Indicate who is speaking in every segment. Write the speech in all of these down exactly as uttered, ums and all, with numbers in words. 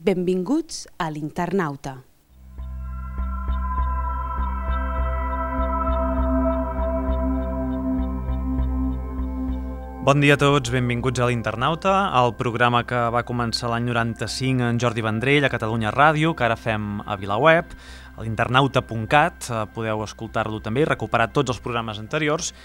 Speaker 1: Benvinguts a l'Internauta.
Speaker 2: Bon dia a tots, benvinguts a l'Internauta, el programa que va començar l'any noranta-cinc en Jordi Vendrell a Catalunya Ràdio, que ara fem a VilaWeb, a l'internauta punt cat, podeu escoltar-lo també i recuperar tots els programes anteriors,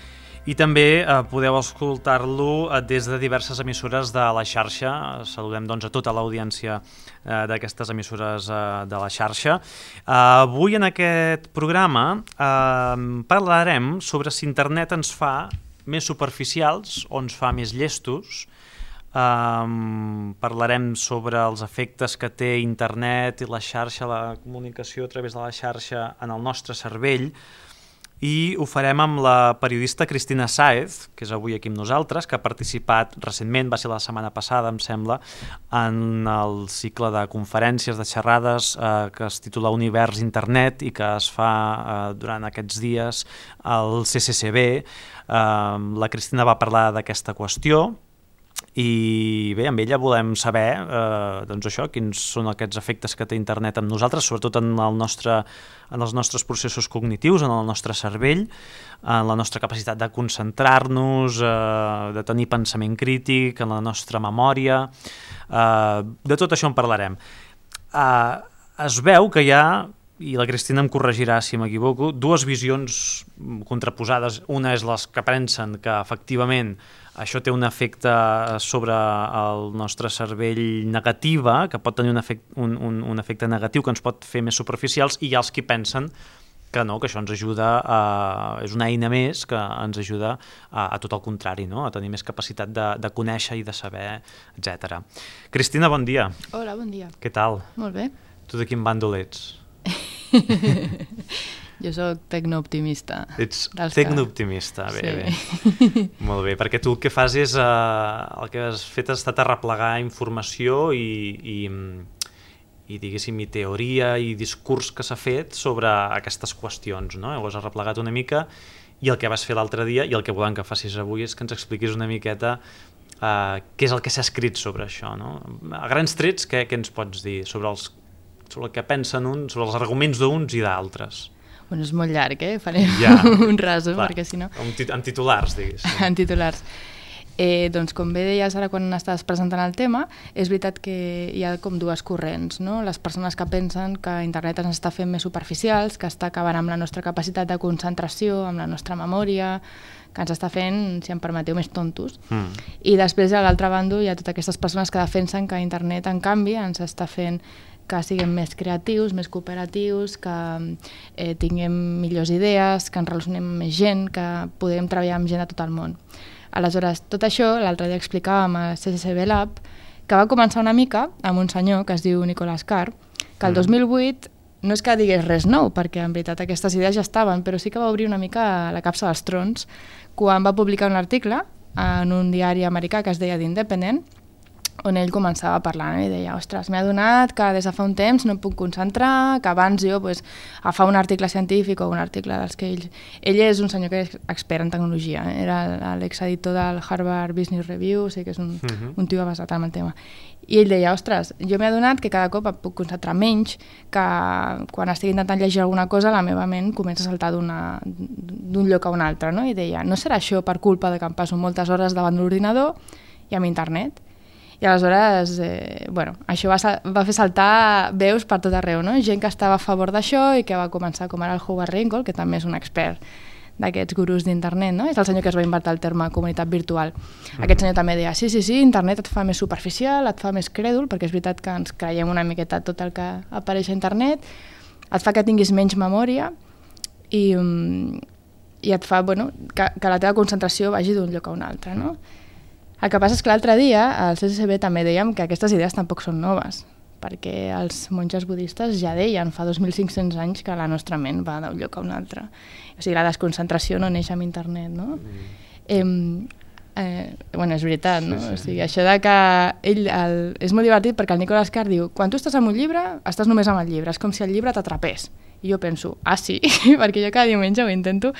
Speaker 2: i també eh, podeu escoltar-lo des de diverses emissores de la xarxa. Saludem doncs a tota l'audiència eh, d'aquestes emissores eh, de la xarxa. Eh, avui en aquest programa eh, parlarem sobre si internet ens fa més superficials o ens fa més llestos. Um, parlarem sobre els efectes que té internet i la xarxa, la comunicació a través de la xarxa en el nostre cervell, i ho farem amb la periodista Cristina Sáez, que és avui aquí amb nosaltres, que ha participat recentment, va ser la setmana passada, em sembla, en el cicle de conferències, de xerrades eh, que es titula Univers Internet i que es fa eh, durant aquests dies al C C C B. Uh, la Cristina va parlar d'aquesta qüestió i bé, amb ella volem saber uh, doncs això, quins són aquests efectes que té internet amb nosaltres, sobretot en, el nostre, en els nostres processos cognitius, en el nostre cervell, en la nostra capacitat de concentrar-nos, uh, de tenir pensament crític, en la nostra memòria. Uh, de tot això en parlarem. Uh, es veu que hi ha, i la Cristina em corregirà si m'equivoco, dues visions contraposades. Una és les que pensen que efectivament això té un efecte sobre el nostre cervell negativa, que pot tenir un efecte, un, un, un efecte negatiu que ens pot fer més superficials, i hi ha els que pensen que no, que això ens ajuda, a, és una eina més que ens ajuda a, a tot el contrari, no? A tenir més capacitat de, de conèixer i de saber, etcètera. Cristina, bon dia.
Speaker 3: Hola, bon dia.
Speaker 2: Què tal?
Speaker 3: Molt bé.
Speaker 2: Tu de quin bàndol ets?
Speaker 3: Jo soc tecnooptimista.
Speaker 2: Ets tecnooptimista, bé,
Speaker 3: sí.
Speaker 2: bé. Molt bé, perquè tu el que fas és, eh, el que has fet ha estat arreplegar informació i, i, i diguéssim, i teoria i discurs que s'ha fet sobre aquestes qüestions, no? Ho has arreplegat una mica, i el que vas fer l'altre dia i el que volem que facis avui és que ens expliquis una miqueta eh, què és el que s'ha escrit sobre això, no? A grans trets, què, què ens pots dir sobre els sobre el que pensen uns, sobre els arguments d'uns i d'altres?
Speaker 3: Bueno, és molt llarg, eh? Farem
Speaker 2: ja,
Speaker 3: un resum,
Speaker 2: clar,
Speaker 3: perquè si no...
Speaker 2: En, tit en titulars, diguéssim.
Speaker 3: En titulars. Eh, doncs, com bé deies ara quan estaves presentant el tema, és veritat que hi ha com dues corrents, no? Les persones que pensen que internet ens està fent més superficials, que està acabant amb la nostra capacitat de concentració, amb la nostra memòria, que ens està fent, si em permeteu, més tontos. Mm. I després, a l'altre bàndol, hi ha totes aquestes persones que defensen que internet, en canvi, ens està fent que siguem més creatius, més cooperatius, que eh, tinguem millors idees, que ens relacionem amb més gent, que podem treballar amb gent de tot el món. Aleshores, tot això, l'altre dia explicàvem al C C C B Lab, que va començar una mica amb un senyor que es diu Nicolas Carr, que el dos mil vuit no és que digués res nou, perquè en veritat aquestes idees ja estaven, però sí que va obrir una mica la capsa dels trons quan va publicar un article en un diari americà que es deia The Independent, on ell començava a parlar, no? I deia, ostres, m'he adonat que des de fa un temps no em puc concentrar, que abans jo pues, agafar un article científic o un article dels que ell... Ell és un senyor que és expert en tecnologia, eh? Era l'exeditor del Harvard Business Review, o sigui que és un, uh-huh. un tio basat en el tema. I ell deia, ostres, jo m'he adonat que cada cop em puc concentrar menys, que quan estic intentant llegir alguna cosa la meva ment comença a saltar d'un lloc a un altre, no? I deia, no serà això per culpa de que em passo moltes hores davant de l'ordinador i amb internet? I aleshores, eh, bueno, això va, va fer saltar veus per tot arreu, no? Gent que estava a favor d'això i que va començar, com ara el Howard Ringel, que també és un expert d'aquests gurus d'internet, no? És el senyor que es va inventar el terme comunitat virtual. Mm-hmm. Aquest senyor també deia, sí, sí, sí, internet et fa més superficial, et fa més crèdul, perquè és veritat que ens creiem una miqueta tot el que apareix a internet, et fa que tinguis menys memòria i, um, i et fa, bueno, que, que la teva concentració vagi d'un lloc a un altre, no? El que passa és que l'altre dia al C C C B també dèiem que aquestes idees tampoc són noves, perquè els monges budistes ja deien fa dos mil cinc-cents anys que la nostra ment va d'un lloc a un altre. O sigui, la desconcentració no neix amb internet, no? Mm. Eh, eh, bueno, és veritat, no? Sí, sí. O sigui, això de que ell... El, és molt divertit perquè el Nicolas Carr diu quan tu estàs amb un llibre, estàs només amb el llibre, és com si el llibre t'atrapés. I jo penso, ah sí, perquè jo cada diumenge ho intento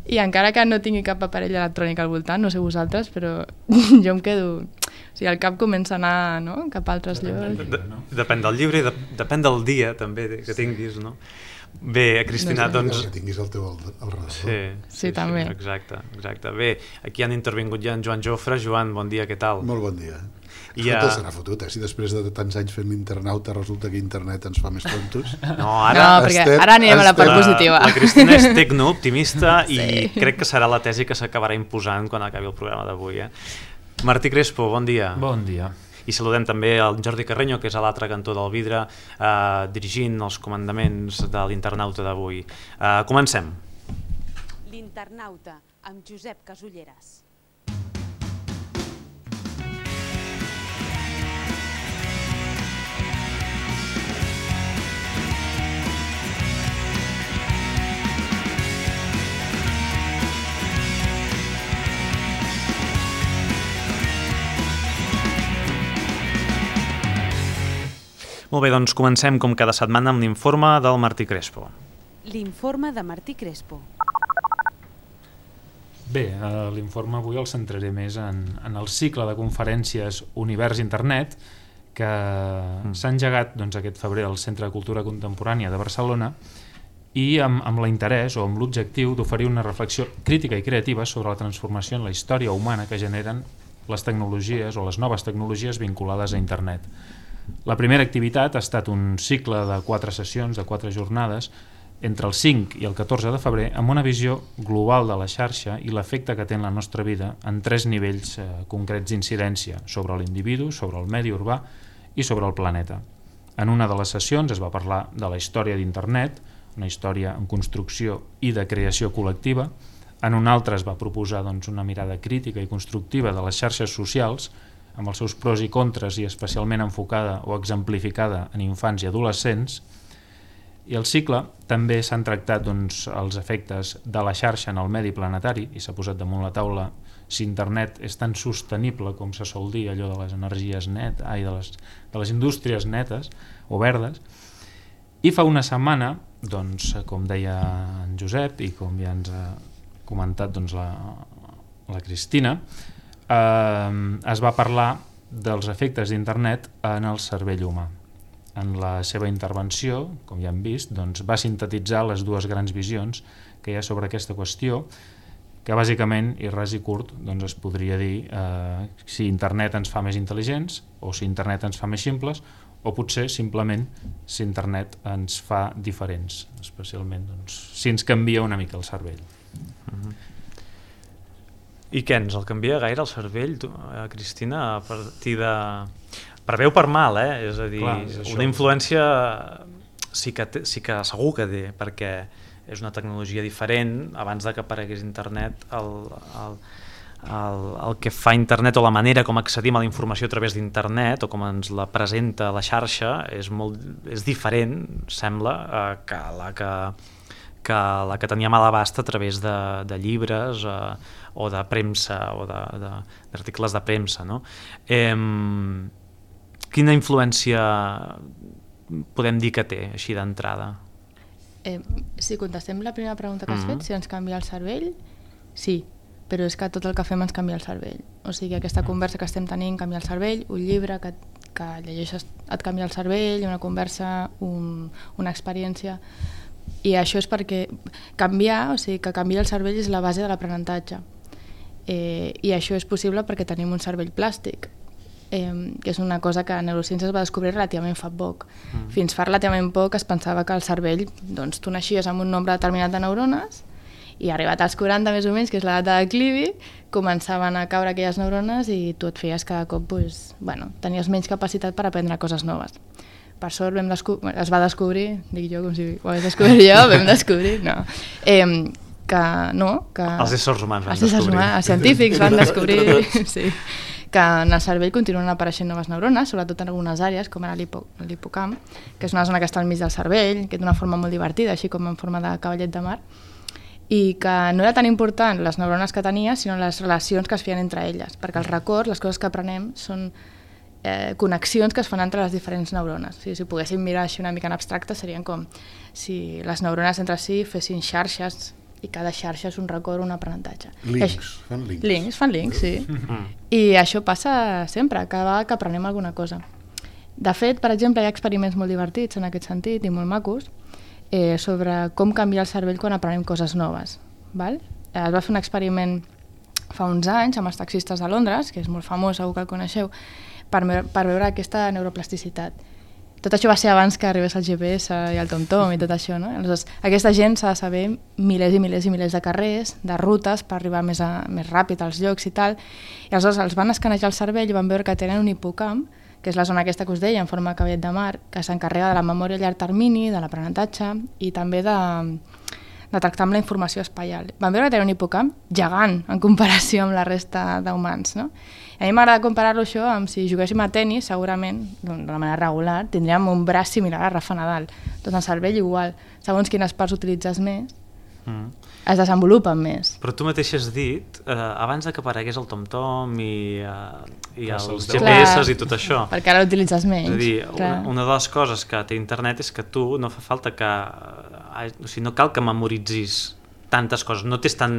Speaker 3: i encara que no tingui cap aparell electrònic al voltant, no sé vosaltres, però jo em quedo... O sigui, el cap comença a anar, no?, cap a altres llocs.
Speaker 2: De, depèn del llibre i de, depèn del dia, també, que tinguis, no? Bé, Cristina, no sé.
Speaker 4: doncs... Que tinguis el teu al, al redador.
Speaker 3: Sí, sí, sí, també.
Speaker 2: Sí, exacte, exacte. Bé, aquí han intervingut ja en Joan Jofre. Joan, bon dia, què tal?
Speaker 4: Molt bon dia. I
Speaker 2: ja...
Speaker 4: Escolta, serà fotut, eh? Si després de tants anys fent l'internauta resulta que internet ens fa més tontos.
Speaker 2: No, ara...
Speaker 3: No, perquè estem, ara anirem a la part positiva.
Speaker 2: La, la Cristina és tecno-optimista i
Speaker 3: sí.
Speaker 2: crec que serà la tesi que s'acabarà imposant quan acabi el programa d'avui, eh? Martí Crespo, bon dia.
Speaker 5: Bon dia.
Speaker 2: I saludem també el Jordi Carreño, que és a l'altre cantó del vidre, eh, dirigint els comandaments de l'internauta d'avui. Eh, comencem.
Speaker 1: L'internauta, amb Josep Casulleras.
Speaker 2: Molt bé, doncs comencem com cada setmana amb l'informe del Martí Crespo.
Speaker 1: L'informe de Martí Crespo.
Speaker 5: Bé, a l'informe avui el centraré més en, en el cicle de conferències Univers Internet que mm. s'ha engegat doncs, aquest febrer al Centre de Cultura Contemporània de Barcelona i amb, amb l'interès o amb l'objectiu d'oferir una reflexió crítica i creativa sobre la transformació en la història humana que generen les tecnologies o les noves tecnologies vinculades a Internet. La primera activitat ha estat un cicle de quatre sessions, de quatre jornades, entre el cinc i el catorze de febrer, amb una visió global de la xarxa i l'efecte que té en la nostra vida en tres nivells eh, concrets d'incidència, sobre l'individu, sobre el medi urbà i sobre el planeta. En una de les sessions es va parlar de la història d'Internet, una història en construcció i de creació col·lectiva. En una altra es va proposar doncs, una mirada crítica i constructiva de les xarxes socials, amb els seus pros i contres i especialment enfocada o exemplificada en infants i adolescents. I el cicle també s'han tractat doncs, els efectes de la xarxa en el medi planetari i s'ha posat damunt la taula si internet és tan sostenible com se sol dir, allò de les energies net, ai, de, les, de les indústries netes o verdes. I fa una setmana, doncs, com deia en Josep i com ja ens ha comentat doncs, la, la Cristina, Eh, es va parlar dels efectes d'internet en el cervell humà. En la seva intervenció, com ja hem vist, doncs, va sintetitzar les dues grans visions que hi ha sobre aquesta qüestió, que bàsicament, i ras i curt, doncs es podria dir eh, si internet ens fa més intel·ligents o si internet ens fa més simples o potser simplement si internet ens fa diferents, especialment doncs, si ens canvia una mica el cervell.
Speaker 2: Uh-huh. I què, ens el canvia gaire el cervell, tu, eh, Cristina, a partir de... Per bé o per mal, eh? És a dir, clar, és una influència sí que, té, sí que segur que té, perquè és una tecnologia diferent. Abans de que aparegués internet, el, el, el, el que fa internet o la manera com accedim a la informació a través d'internet o com ens la presenta la xarxa és, molt, és diferent, sembla, eh, que la que... que la que teníem a l'abast a través de, de llibres eh, o de premsa o d'articles de, de premsa, no? Eh, quina influència podem dir que té, així d'entrada?
Speaker 3: Eh, si contestem la primera pregunta que has mm-hmm. fet, si ens canvia el cervell, sí, però és que tot el que fem ens canvia el cervell. O sigui, aquesta conversa que estem tenint canvia el cervell, un llibre que, que llegeixes et canvia el cervell, una conversa, un, una experiència... I això és perquè canviar, o sigui, que canviar el cervell és la base de l'aprenentatge. Eh, I això és possible perquè tenim un cervell plàstic, eh, que és una cosa que a neurociències es va descobrir relativament fa poc. Mm. Fins fa relativament poc es pensava que el cervell, doncs tu naixies amb un nombre determinat de neurones i arribat als quaranta més o menys, que és l'edat de declivi, començaven a caure aquelles neurones i tu et feies cada cop, pues, bueno, tenies menys capacitat per aprendre coses noves. Per sort vam es va descobrir, dic jo com si ho hagués descobert jo, vam descobrir, no, eh, que no, que...
Speaker 2: Els éssers humans van
Speaker 3: els
Speaker 2: descobrir.
Speaker 3: Humans, els científics van descobrir, sí, que en el cervell continuen apareixent noves neurones, sobretot en algunes àrees, com ara l'hipocamp, que és una zona que està al mig del cervell, que d'una forma molt divertida, així com en forma de cavallet de mar, i que no era tan important les neurones que tenia, sinó les relacions que es feien entre elles, perquè els records, les coses que aprenem, són eh, connexions que es fan entre les diferents neurones. O sigui, si poguéssim mirar així una mica en abstracte, serien com si les neurones entre si fessin xarxes i cada xarxa és un record, un aprenentatge.
Speaker 4: Links,
Speaker 3: Això,
Speaker 4: fan links.
Speaker 3: Links, fan links, sí. I això passa sempre, cada vegada que aprenem alguna cosa. De fet, per exemple, hi ha experiments molt divertits en aquest sentit i molt macos eh, sobre com canviar el cervell quan aprenem coses noves. Val? Es va fer un experiment fa uns anys amb els taxistes de Londres, que és molt famós, segur que el coneixeu, per, per veure aquesta neuroplasticitat. Tot això va ser abans que arribés el G P S i el TomTom i tot això, no? Aleshores, aquesta gent s'ha de saber milers i milers i milers de carrers, de rutes, per arribar més, a, més ràpid als llocs i tal. I aleshores els van escanejar el cervell i van veure que tenen un hipocamp, que és la zona aquesta que us deia, en forma de cavallet de mar, que s'encarrega de la memòria a llarg termini, de l'aprenentatge i també de, de tractar amb la informació espaial. Van veure que tenen un hipocamp gegant en comparació amb la resta d'humans, no? A mi m'agrada comparar-lo això amb si juguéssim a tenis, segurament, de manera regular, tindríem un braç similar a Rafa Nadal. Tot el cervell igual. Segons quines parts utilitzes més, mm. es desenvolupen més.
Speaker 2: Però tu mateix has dit, eh, abans de que aparegués el TomTom i, eh, i els G P S
Speaker 3: Clar,
Speaker 2: i tot això...
Speaker 3: perquè ara l'utilitzes menys.
Speaker 2: És a dir, una, una de les coses que té internet és que tu no fa falta que... O sigui, no cal que memoritzis tantes coses, no tens tant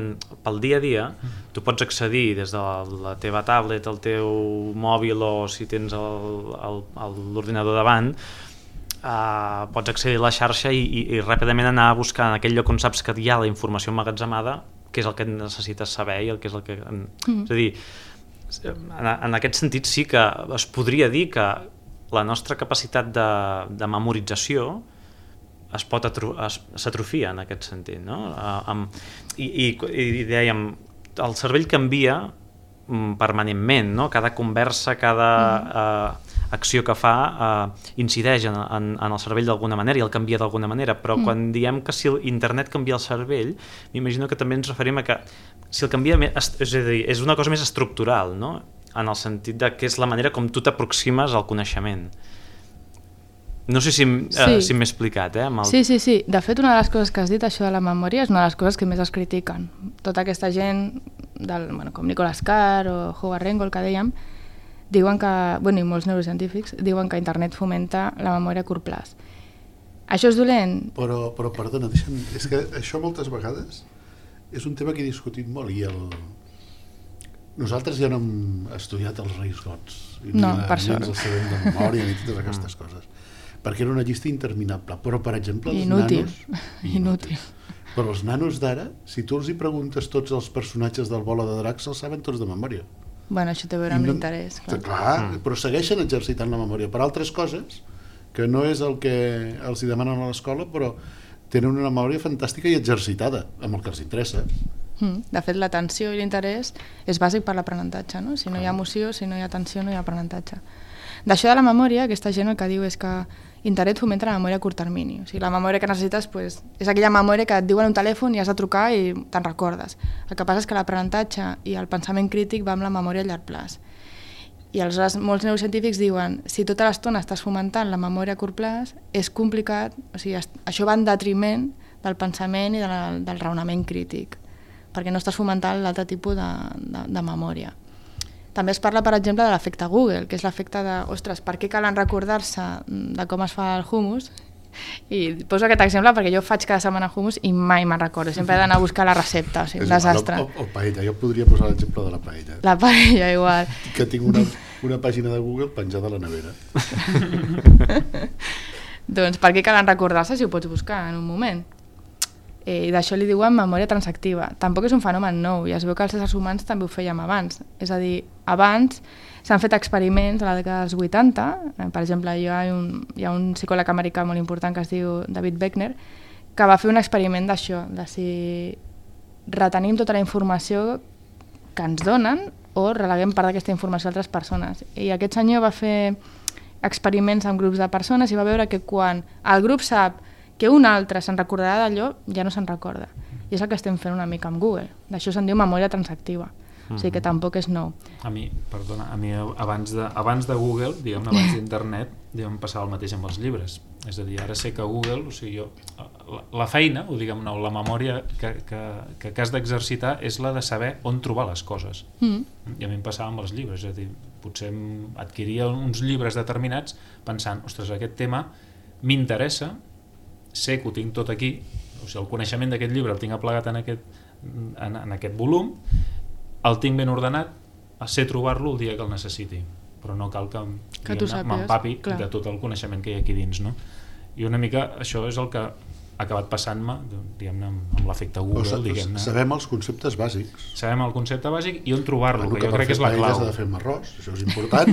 Speaker 2: pel dia a dia, tu pots accedir des de la teva tablet, el teu mòbil o si tens l'ordinador davant, uh, pots accedir a la xarxa i, i, i ràpidament anar a buscar en aquell lloc on saps que hi ha la informació emmagatzemada, que és el que necessites saber i el que és el que... Mm. És a dir, en, en aquest sentit sí que es podria dir que la nostra capacitat de, de memorització es pot atro s'atrofia en aquest sentit, no? Uh, amb, i, i, i dèiem, el cervell canvia um, permanentment, no? Cada conversa, cada uh, acció que fa uh, incideix en, en, en el cervell d'alguna manera i el canvia d'alguna manera, però mm. quan diem que si internet canvia el cervell, m'imagino que també ens referim a que si el canvia, és, és a dir, és una cosa més estructural, no? En el sentit de que és la manera com tu t'aproximes al coneixement. No sé si, sí. uh, si m'he explicat, eh? Amb el...
Speaker 3: Sí, sí, sí. De fet, una de les coses que has dit, això de la memòria, és una de les coses que més es critiquen. Tota aquesta gent, del, bueno, com Nicholas Carr o Howard Reingold, que dèiem, diuen que, bueno, i molts neurocientífics, diuen que internet fomenta la memòria a curt plaç. Això és dolent?
Speaker 4: Però, però perdona, deixa'm, és que això moltes vegades és un tema que he discutit molt i el... Nosaltres ja no hem estudiat els Reis Gots. I
Speaker 3: no,
Speaker 4: ni,
Speaker 3: per
Speaker 4: ni
Speaker 3: sort.
Speaker 4: ens els sabem de memòria ni totes aquestes coses. Perquè era una llista interminable, però per exemple els
Speaker 3: inútil.
Speaker 4: nanos...
Speaker 3: Inútil.
Speaker 4: Però els nanos d'ara, si tu els hi preguntes tots els personatges del Bola de Dracs, els saben tots de memòria.
Speaker 3: Bueno, això té a veure amb
Speaker 4: no,
Speaker 3: l'interès. Clar,
Speaker 4: clar mm. però segueixen exercitant la memòria per altres coses, que no és el que els hi demanen a l'escola, però tenen una memòria fantàstica i exercitada, amb el que els interessa.
Speaker 3: Mm. De fet, l'atenció i l'interès és bàsic per l'aprenentatge, no? Si no hi ha emoció, si no hi ha atenció, no hi ha aprenentatge. D'això de la memòria, aquesta gent el que diu és que internet fomenta la memòria a curt termini. O sigui, la memòria que necessites pues, és aquella memòria que et diuen un telèfon i has de trucar i te'n recordes. El que passa és que l'aprenentatge i el pensament crític va amb la memòria a llarg plaç. I aleshores molts neurocientífics diuen si tota l'estona estàs fomentant la memòria a curt plaç, és complicat, o sigui, això va en detriment del pensament i de la, del raonament crític, perquè no estàs fomentant l'altre tipus de, de, de memòria. També es parla, per exemple, de l'efecte Google, que és l'efecte de, ostres, per què calen recordar-se de com es fa el hummus? I poso aquest exemple perquè jo faig cada setmana hummus i mai me'n recordo, sempre he d'anar a buscar la recepta, o sigui, un desastre.
Speaker 4: O, o, o paella, jo podria posar l'exemple de la paella.
Speaker 3: La paella, igual.
Speaker 4: Que tinc una, una pàgina de Google penjada a la nevera.
Speaker 3: Doncs per què calen recordar-se si ho pots buscar en un moment? Eh, I d'això li diuen memòria transactiva. Tampoc és un fenomen nou, i es veu que els éssers humans també ho fèiem abans. És a dir, abans s'han fet experiments a la dècada dels vuitanta, eh, per exemple, hi ha, un, hi ha un psicòleg americà molt important que es diu David Beckner, que va fer un experiment d'això, de si retenim tota la informació que ens donen o releguem part d'aquesta informació a altres persones. I aquest senyor va fer experiments amb grups de persones i va veure que quan el grup sap que un altre se'n recordarà d'allò, ja no se'n recorda. I és el que estem fent una mica amb Google. D'això se'n diu memòria transactiva. O sigui que tampoc és nou.
Speaker 5: A mi, perdona, a mi abans de, abans de Google, diguem-ne, abans d'internet, Diguem, passar el mateix amb els llibres. És a dir, ara sé que Google, o sigui, jo, la, la feina, o diguem, no, la memòria que, que, que, que has d'exercitar és la de saber on trobar les coses. Mm. I a mi em passava amb els llibres, és a dir, potser adquiria uns llibres determinats pensant, ostres, aquest tema m'interessa, sé que ho tinc tot aquí, o sigui, el coneixement d'aquest llibre el tinc aplegat en aquest, en, en aquest volum, el tinc ben ordenat, sé trobar-lo el dia que el necessiti, però no cal que,
Speaker 3: que
Speaker 5: m'empapi de tot el coneixement que hi ha aquí dins, no? I una mica això és el que ha acabat passant-me, diguem-ne, amb l'efecte Google,
Speaker 4: o
Speaker 5: diguem-ne.
Speaker 4: Sabem els conceptes bàsics.
Speaker 5: Sabem el concepte bàsic i on trobar-lo,
Speaker 4: bueno,
Speaker 5: que, que jo crec que és la clau.
Speaker 4: Has de fer arròs, això és important.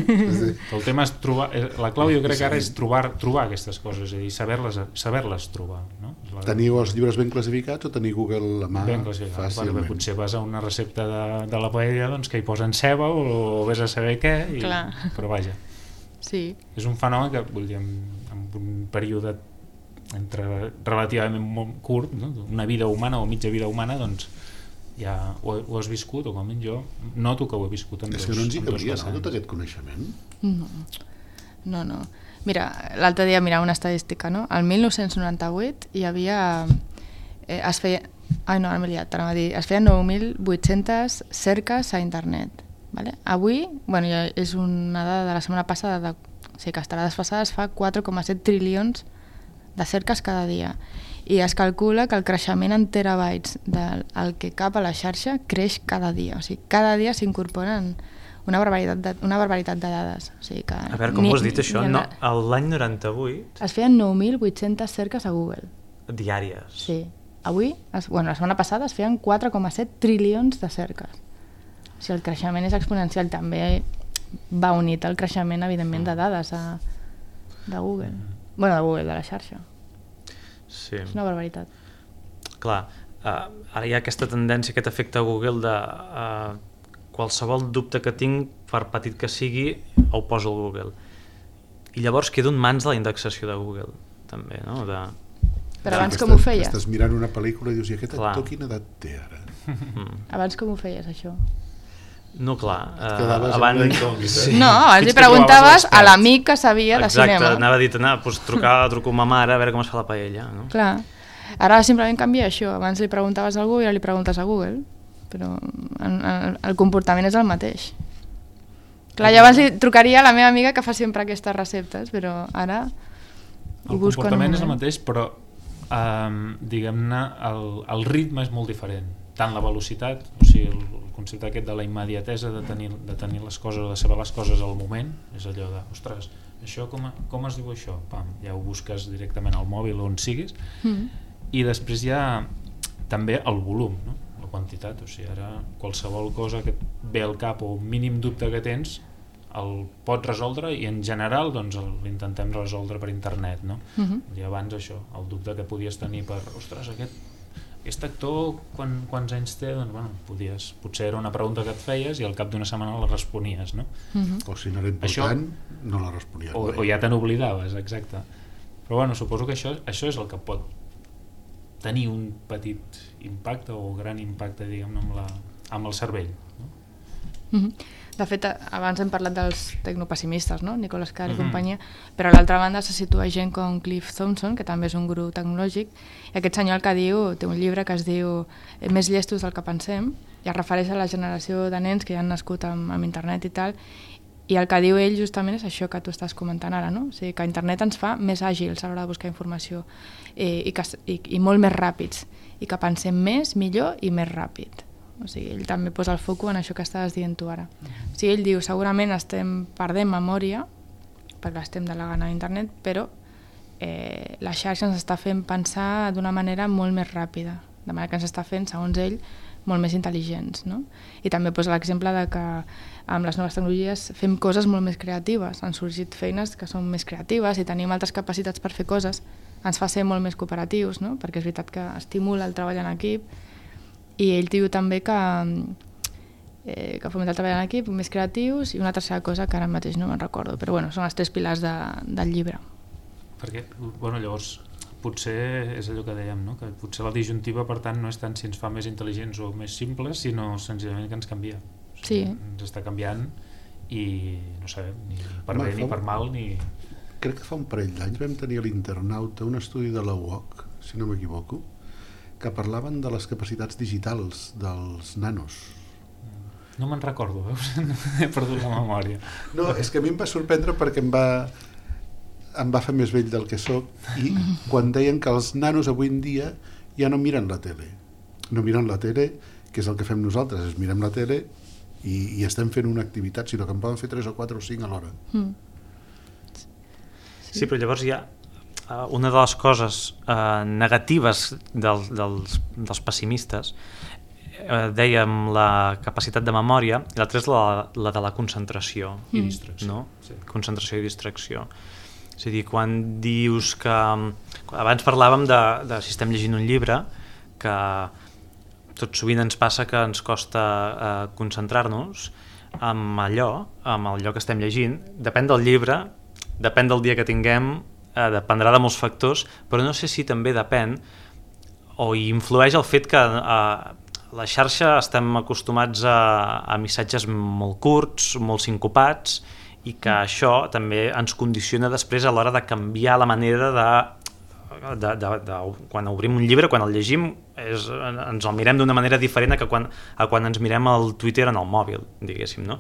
Speaker 5: El tema és trobar, la clau jo crec que ara és trobar, trobar aquestes coses, és a dir, saber-les saber-les trobar, no? La...
Speaker 4: Teniu els llibres ben classificats o teniu Google a mà
Speaker 5: ben classificats?
Speaker 4: fàcilment?
Speaker 5: Bueno, potser vas a una recepta de, de la paella, doncs, que hi posen ceba o, o vés a saber què, i, però vaja.
Speaker 3: Sí.
Speaker 5: És un fenomen que, vull dir, en, en un període entre relativament molt curt, no? Una vida humana o mitja vida humana, doncs ja ho, ho has viscut, o com a mínim jo noto que ho he viscut en dos.
Speaker 4: És que no ens hi cabria, no, tot aquest coneixement?
Speaker 3: No, no, no. Mira, l'altre dia mirava una estadística, no? El mil nou-cents noranta-vuit hi havia... Eh, es feia... Ai, no, ara m'he liat, t'anava a dir. Es feien nou mil vuit-centes cerques a internet. Vale? Avui, bueno, ja és una dada de la setmana passada, de, o sigui que estarà desfasada, es fa quatre coma set trilions de cerques cada dia. I es calcula que el creixement en terabytes del el que cap a la xarxa creix cada dia. O sigui, cada dia s'incorporen una barbaritat de, una barbaritat de dades. O sigui que
Speaker 2: a veure, com
Speaker 3: ni,
Speaker 2: ho has dit això? No, l'any noranta-vuit...
Speaker 3: Es feien nou mil vuit-centes cerques a Google.
Speaker 2: Diàries?
Speaker 3: Sí. Avui, es, bueno, la setmana passada es feien quatre coma set trilions de cerques. O sigui, el creixement és exponencial. També va unit al creixement, evidentment, de dades a, de Google. Bueno, de Google, de la xarxa.
Speaker 2: Sí.
Speaker 3: És una barbaritat.
Speaker 2: Clar, uh, ara hi ha aquesta tendència, aquest efecte Google de uh, qualsevol dubte que tinc, per petit que sigui, ho poso al Google. I llavors quedo en mans de la indexació de Google, també, no? De...
Speaker 3: Però abans com ho feies?
Speaker 4: Estàs mirant una pel·lícula i dius, i aquest
Speaker 2: Clar.
Speaker 4: actor quina edat té ara?
Speaker 3: Mm. Abans com ho feies, això?
Speaker 2: No, clar.
Speaker 4: Uh,
Speaker 2: abans...
Speaker 3: Sí. No, abans li preguntaves a l'amic que sabia de
Speaker 2: Exacte,
Speaker 3: cinema.
Speaker 2: Exacte, anava a dir, anar, doncs, trucar, truco a ma mare a veure com es fa la paella. No?
Speaker 3: Clar. Ara simplement canvia això. Abans li preguntaves a algú i ara li preguntes a Google. Però en, en, el comportament és el mateix. Clar, jo abans li trucaria a la meva amiga que fa sempre aquestes receptes, però ara
Speaker 5: el comportament és el mateix, però um, diguem-ne, el, el ritme és molt diferent. Tant la velocitat, o sigui, el, el concepte aquest de la immediatesa de tenir, de tenir les coses, de saber les coses al moment, és allò de, ostres, això com, com es diu això? Pam, ja ho busques directament al mòbil on siguis. Mm. I després hi ha també el volum, no? La quantitat, o sigui, ara qualsevol cosa que et ve al cap o un mínim dubte que tens el pots resoldre i en general doncs l'intentem resoldre per internet, no? Uh-huh. I abans això, el dubte que podies tenir per, ostres, aquest, aquest actor quan, quants anys té? Doncs bueno, podies, potser era una pregunta que et feies i al cap d'una setmana la responies, no?
Speaker 4: Uh-huh. O si no era important, això, no la responies.
Speaker 5: O, o ja te n'oblidaves, exacte. Però bueno, suposo que això, això és el que pot tenir un petit impacte o gran impacte, diguem-ne, amb, la, amb el cervell, no?
Speaker 3: Uh-huh. De fet, abans hem parlat dels tecnopessimistes, no? Nicolas Carr i uh-huh. companyia, però a l'altra banda se situa gent com Cliff Thompson, que també és un gurú tecnològic, i aquest senyor el que diu, té un llibre que es diu Més llestos del que pensem, i es refereix a la generació de nens que ja han nascut amb, amb internet i tal, i el que diu ell justament és això que tu estàs comentant ara, no? O sigui, que internet ens fa més àgils a l'hora de buscar informació i, i, que, i, i molt més ràpids, i que pensem més, millor i més ràpid. O sigui, ell també posa el foc en això que estaves dient tu ara. O sigui, ell diu, segurament estem perdent memòria, perquè estem delegant a internet, però eh, la xarxa ens està fent pensar d'una manera molt més ràpida, de manera que ens està fent, segons ell, molt més intel·ligents, no? I també posa l'exemple de que amb les noves tecnologies fem coses molt més creatives, han sorgit feines que són més creatives i tenim altres capacitats per fer coses, ens fa ser molt més cooperatius, no? Perquè és veritat que estimula el treball en equip. I ell diu també que, eh, que fomenta el treball en equip, més creatius, i una tercera cosa que ara mateix no me'n recordo, però bueno, són els tres pilars de, del llibre.
Speaker 5: Perquè, bueno, llavors, potser és allò que dèiem, no? Que potser la disjuntiva, per tant, no és tant si ens fa més intel·ligents o més simples, sinó senzillament que ens canvia. O sigui,
Speaker 3: sí.
Speaker 5: Ens està canviant i no sabem, ni per bé, ni per mal, ni...
Speaker 4: crec que fa un parell d'anys vam tenir a l'Internauta un estudi de la U O C, si no m'equivoco, que parlaven de les capacitats digitals dels nanos.
Speaker 5: No me'n recordo, veus? He perdut la memòria.
Speaker 4: No, és que a mi em va sorprendre perquè em va, em va fer més vell del que sóc, i quan deien que els nanos avui en dia ja no miren la tele. No miren la tele, que és el que fem nosaltres, és mirem la tele i, i estem fent una activitat, sinó que en poden fer tres o quatre o cinc alhora. Mm.
Speaker 2: Sí, però llavors hi ha una de les coses eh, negatives del, dels, dels pessimistes, eh, dèiem la capacitat de memòria, i l'altra és la, la de la concentració.
Speaker 5: I distracció.
Speaker 2: No? Sí. Concentració i distracció. És a dir, quan dius que... Abans parlàvem de, de si estem llegint un llibre, que tot sovint ens passa que ens costa eh, concentrar-nos amb allò, amb allò que estem llegint. Depèn del llibre, depèn del dia que tinguem, eh, dependrà de molts factors, però no sé si també depèn o hi influeix el fet que a la xarxa estem acostumats a, a missatges molt curts, molt sincopats, i que això també ens condiciona després a l'hora de canviar la manera de, de, de, de quan obrim un llibre, quan el llegim, és, ens el mirem d'una manera diferent a, que quan, a quan ens mirem el Twitter en el mòbil, diguéssim, no?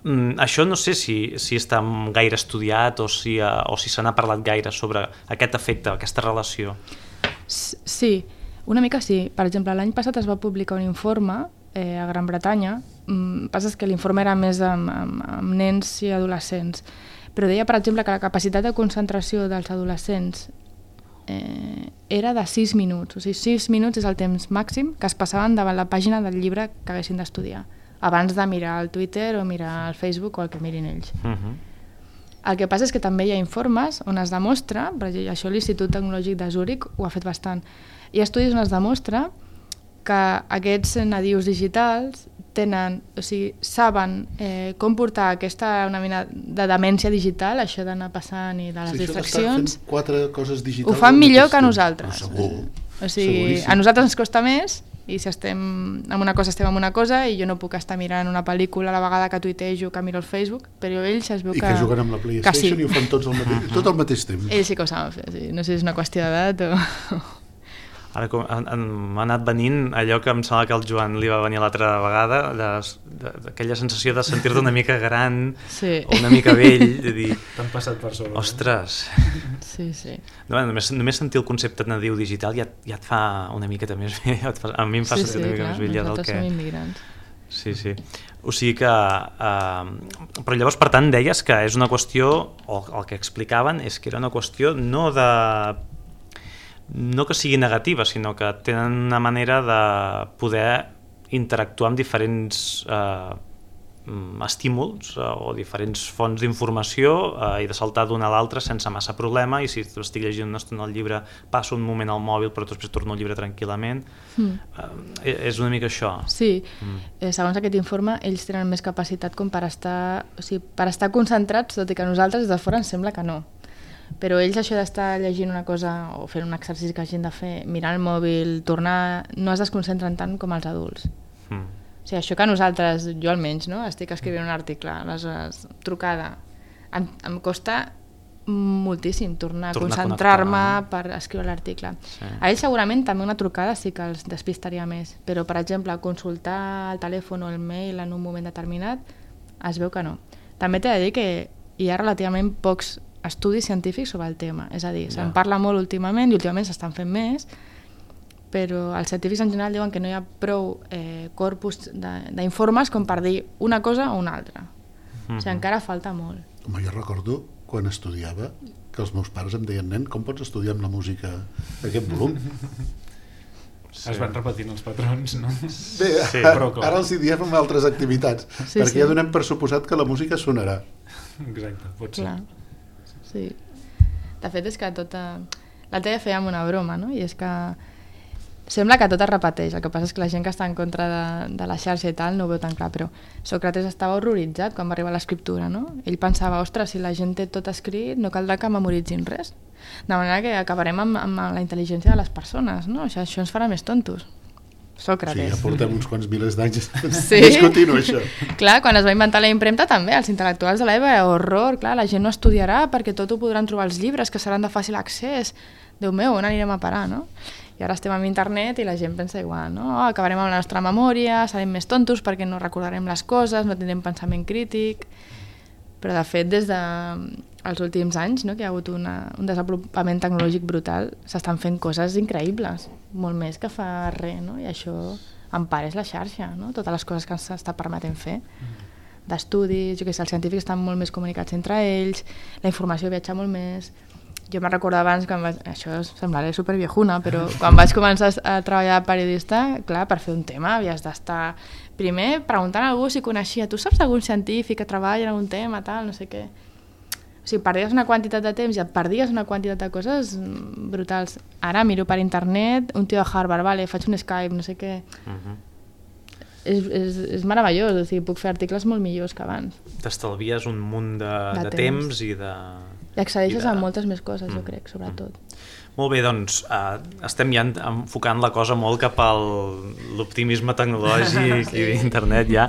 Speaker 2: Mm, això no sé si, si està gaire estudiat o si, uh, o si se n'ha parlat gaire sobre aquest efecte, aquesta relació.
Speaker 3: Sí, una mica sí. Per exemple, l'any passat es va publicar un informe eh, a Gran Bretanya. Mm, passa que l'informe era més amb, amb, amb nens i adolescents, però deia, per exemple, que la capacitat de concentració dels adolescents eh, era de sis minuts. O sigui, sis minuts és el temps màxim que es passaven davant la pàgina del llibre que haguessin d'estudiar, abans de mirar el Twitter o mirar el Facebook o el que mirin ells. Uh-huh. El que passa és que també hi ha informes on es demostra, per exemple, això l'Institut Tecnològic de Zúrich ho ha fet bastant, hi ha estudis on es demostra que aquests nadius digitals tenen, o sigui, saben eh, com portar aquesta una mena de demència digital, això d'anar passant i de les sí, distraccions,
Speaker 4: fent quatre coses digitals,
Speaker 3: ho fan millor que nosaltres.
Speaker 4: Segur.
Speaker 3: O sigui, a nosaltres ens costa més, i si estem en una cosa estem en una cosa, i jo no puc estar mirant una pel·lícula a la vegada que tuitejo, que miro el Facebook, però ells es veu que...
Speaker 4: I que juguen amb la PlayStation sí. I ho fan tots al mateix, tot al mateix temps.
Speaker 3: Ells sí que ho saben fer, sí. No sé si és una qüestió d'edat o...
Speaker 2: Ara m'ha anat venint allò que em sembla que el Joan li va venir l'altra vegada, d'aquella sensació de sentir-te una mica gran sí. O una mica vell, de dir...
Speaker 5: T'han passat per sobre.
Speaker 2: Ostres!
Speaker 3: Sí, sí.
Speaker 2: No, només, només sentir el concepte nadiu digital ja, ja et fa una miqueta més vell, a mi em fa
Speaker 3: sí,
Speaker 2: sentir
Speaker 3: sí,
Speaker 2: una mica
Speaker 3: clar,
Speaker 2: més vell ja del que...
Speaker 3: nosaltres som immigrants.
Speaker 2: Sí, sí. O sigui que... Uh, però llavors, per tant, deies que és una qüestió, o el que explicaven és que era una qüestió no de... no que sigui negativa, sinó que tenen una manera de poder interactuar amb diferents eh, estímuls eh, o diferents fonts d'informació eh, i de saltar d'una a l'altra sense massa problema, i si estic llegint una estona el llibre passo un moment al mòbil però després torno al llibre tranquil·lament. Mm. Eh, és una mica això.
Speaker 3: Sí, mm. eh, segons aquest informe ells tenen més capacitat com per estar, o sigui, per estar concentrats, tot i que a nosaltres des de fora ens sembla que no. Però ells això d'estar llegint una cosa o fent un exercici que hagin de fer, mirar el mòbil, tornar, no es desconcentren tant com els adults. Mm. O sigui, això que nosaltres, jo almenys, no? Estic escrivint un article, aleshores, trucada, em, em costa moltíssim tornar, tornar a concentrar-me a per escriure l'article. Sí. A ells segurament també una trucada sí que els despistaria més, però per exemple consultar el telèfon o el mail en un moment determinat es veu que no. També t'he de dir que hi ha relativament pocs estudis científics sobre el tema, és a dir, se'n parla molt últimament i últimament s'estan fent més, però els científics en general diuen que no hi ha prou eh, corpus d'informes com per dir una cosa o una altra. Mm-hmm. O sigui, encara falta molt.
Speaker 4: Home, jo recordo quan estudiava que els meus pares em deien, nen, com pots estudiar amb la música aquest volum?
Speaker 5: Sí. Es van repetint els patrons, no?
Speaker 4: Bé, sí, ara, ara els hi diem amb altres activitats, sí, perquè sí. Ja donem per suposat que la música sonarà.
Speaker 5: Exacte, pot ser.
Speaker 3: Clar. Sí. De fet és que tota... L'altre dia fèiem una broma, no? I és que sembla que tot es repeteix, el que passa és que la gent que està en contra de, de la xarxa i tal no ho veu tan clar, però Sòcrates estava horroritzat quan va arribar a l'escriptura, no? Ell pensava, ostres, si la gent té tot escrit no caldrà que memoritzin res, de manera que acabarem amb, amb la intel·ligència de les persones, no? Això, això ens farà més tontos. Sòcrates.
Speaker 4: Sí, ja portem uns quants milers d'anys
Speaker 3: sí?
Speaker 4: discutint això.
Speaker 3: Clar, quan es va inventar la impremta també, els intel·lectuals de l'època, horror, clar, la gent no estudiarà perquè tot ho podran trobar als llibres, que seran de fàcil accés. Déu meu, on anirem a parar, no? I ara estem amb internet i la gent pensa igual, no? Oh, acabarem amb la nostra memòria, serem més tontos perquè no recordarem les coses, no tindrem pensament crític. Però de fet, des dels últims anys, no, que hi ha hagut una, un desenvolupament tecnològic brutal, s'estan fent coses increïbles, molt més que fa res, no? I això en part és la xarxa, no? Totes les coses que ens està permetent fer. D'estudis, jo què sé, els científics estan molt més comunicats entre ells, la informació viatja molt més. Jo me'n recordo abans, quan vaig, això semblaré superviejuna, però quan vaig començar a treballar de periodista, clar, per fer un tema havies d'estar primer preguntant a algú si coneixia, tu saps algun científic que treballa en algun tema, tal, no sé què. O sigui, perdies una quantitat de temps i et perdies una quantitat de coses brutals. Ara miro per internet, un tio de Harvard, vale, faig un Skype, no sé què. Uh-huh. És, és, és meravellós, o sigui, puc fer articles molt millors que abans.
Speaker 2: T'estalvies un munt de, de, de temps. temps i de...
Speaker 3: I accedeixes
Speaker 2: I de...
Speaker 3: a moltes més coses, mm. jo crec, sobretot.
Speaker 2: Mm. Molt bé, doncs, uh, estem ja enfocant la cosa molt cap a l'optimisme tecnològic sí. i d'internet ja.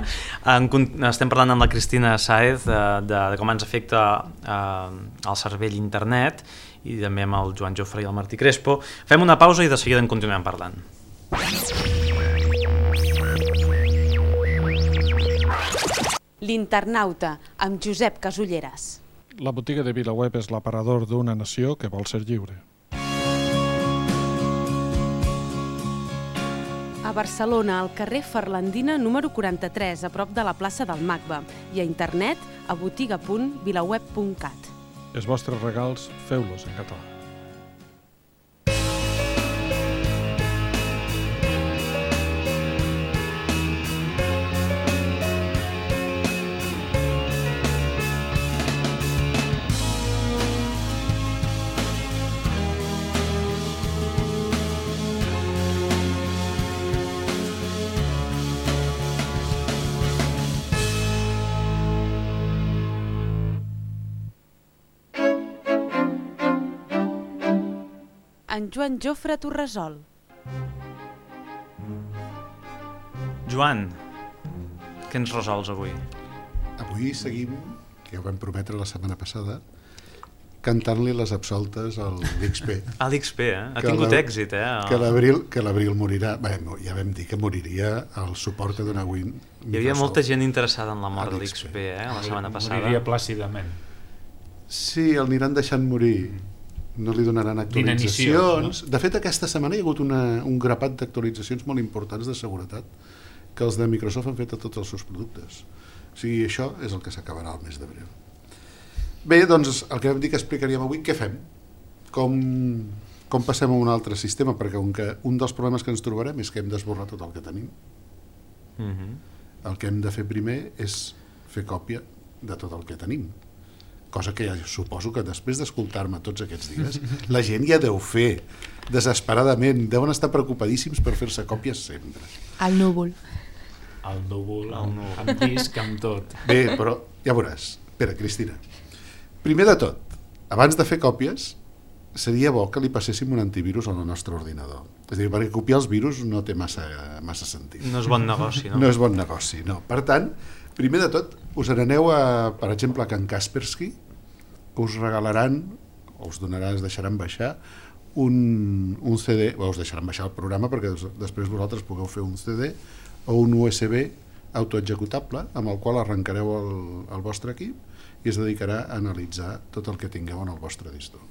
Speaker 2: En, estem parlant amb la Cristina Sáez de, de, de com ens afecta uh, el cervell internet i també amb el Joan Jofre i el Martí Crespo. Fem una pausa i de seguida en continuem parlant.
Speaker 1: L'Internauta, amb Josep Casulleras.
Speaker 6: La botiga de VilaWeb és l'aparador d'una nació que vol ser lliure.
Speaker 1: A Barcelona, al carrer Ferlandina número quaranta-tres, a prop de la plaça del Macba, i a internet a botiga punt vilaweb punt cat.
Speaker 6: Els vostres regals, feu-los en català.
Speaker 1: En Joan Jofre Torresol.
Speaker 2: Joan, què ens resols avui?
Speaker 4: Avui seguim, que ja ho vam prometre la setmana passada, cantant-li les absoltes a l'X P.
Speaker 2: A l'X P, eh? Ha tingut èxit, eh?
Speaker 4: Que l'abril que l'abril morirà. Bé, ja vam dir que moriria el suport que dona avui Microsoft.
Speaker 2: Hi havia molta gent interessada en la mort de l'X P, eh? La setmana passada.
Speaker 5: Moriria plàcidament.
Speaker 4: Sí, el aniran deixant morir. No li donaran actualitzacions. No? De fet, aquesta setmana hi ha hagut una, un grapat d'actualitzacions molt importants de seguretat que els de Microsoft han fet a tots els seus productes. O sigui, això és el que s'acabarà el mes d'abril. Bé, doncs, el que vam dir que explicaríem avui, què fem? Com, com passem a un altre sistema? Perquè un, que, un dels problemes que ens trobarem és que hem d'esborrar tot el que tenim. Mm-hmm. El que hem de fer primer és fer còpia de tot el que tenim. Cosa que ja suposo que després d'escoltar-me tots aquests dies, la gent ja deu fer desesperadament, deuen estar preocupadíssims per fer-se còpies sempre.
Speaker 3: El núvol.
Speaker 5: El núvol, el núvol. Amb disc, amb tot.
Speaker 4: Bé, però ja veuràs. Espera, Cristina. Primer de tot, abans de fer còpies, seria bo que li passéssim un antivirus al nostre ordinador. És a dir, perquè copiar els virus no té massa, massa sentit.
Speaker 2: No és bon negoci, no?
Speaker 4: No és bon negoci, no. Per tant, primer de tot, us n'aneu a, per exemple, a Can Kaspersky, que us regalaran, o us donaran, us deixaran baixar, un, un C D, o us deixaran baixar el programa perquè després vosaltres pugueu fer un C D o un U S B autoexecutable amb el qual arrencareu el, el vostre equip i es dedicarà a analitzar tot el que tingueu en el vostre disc dur.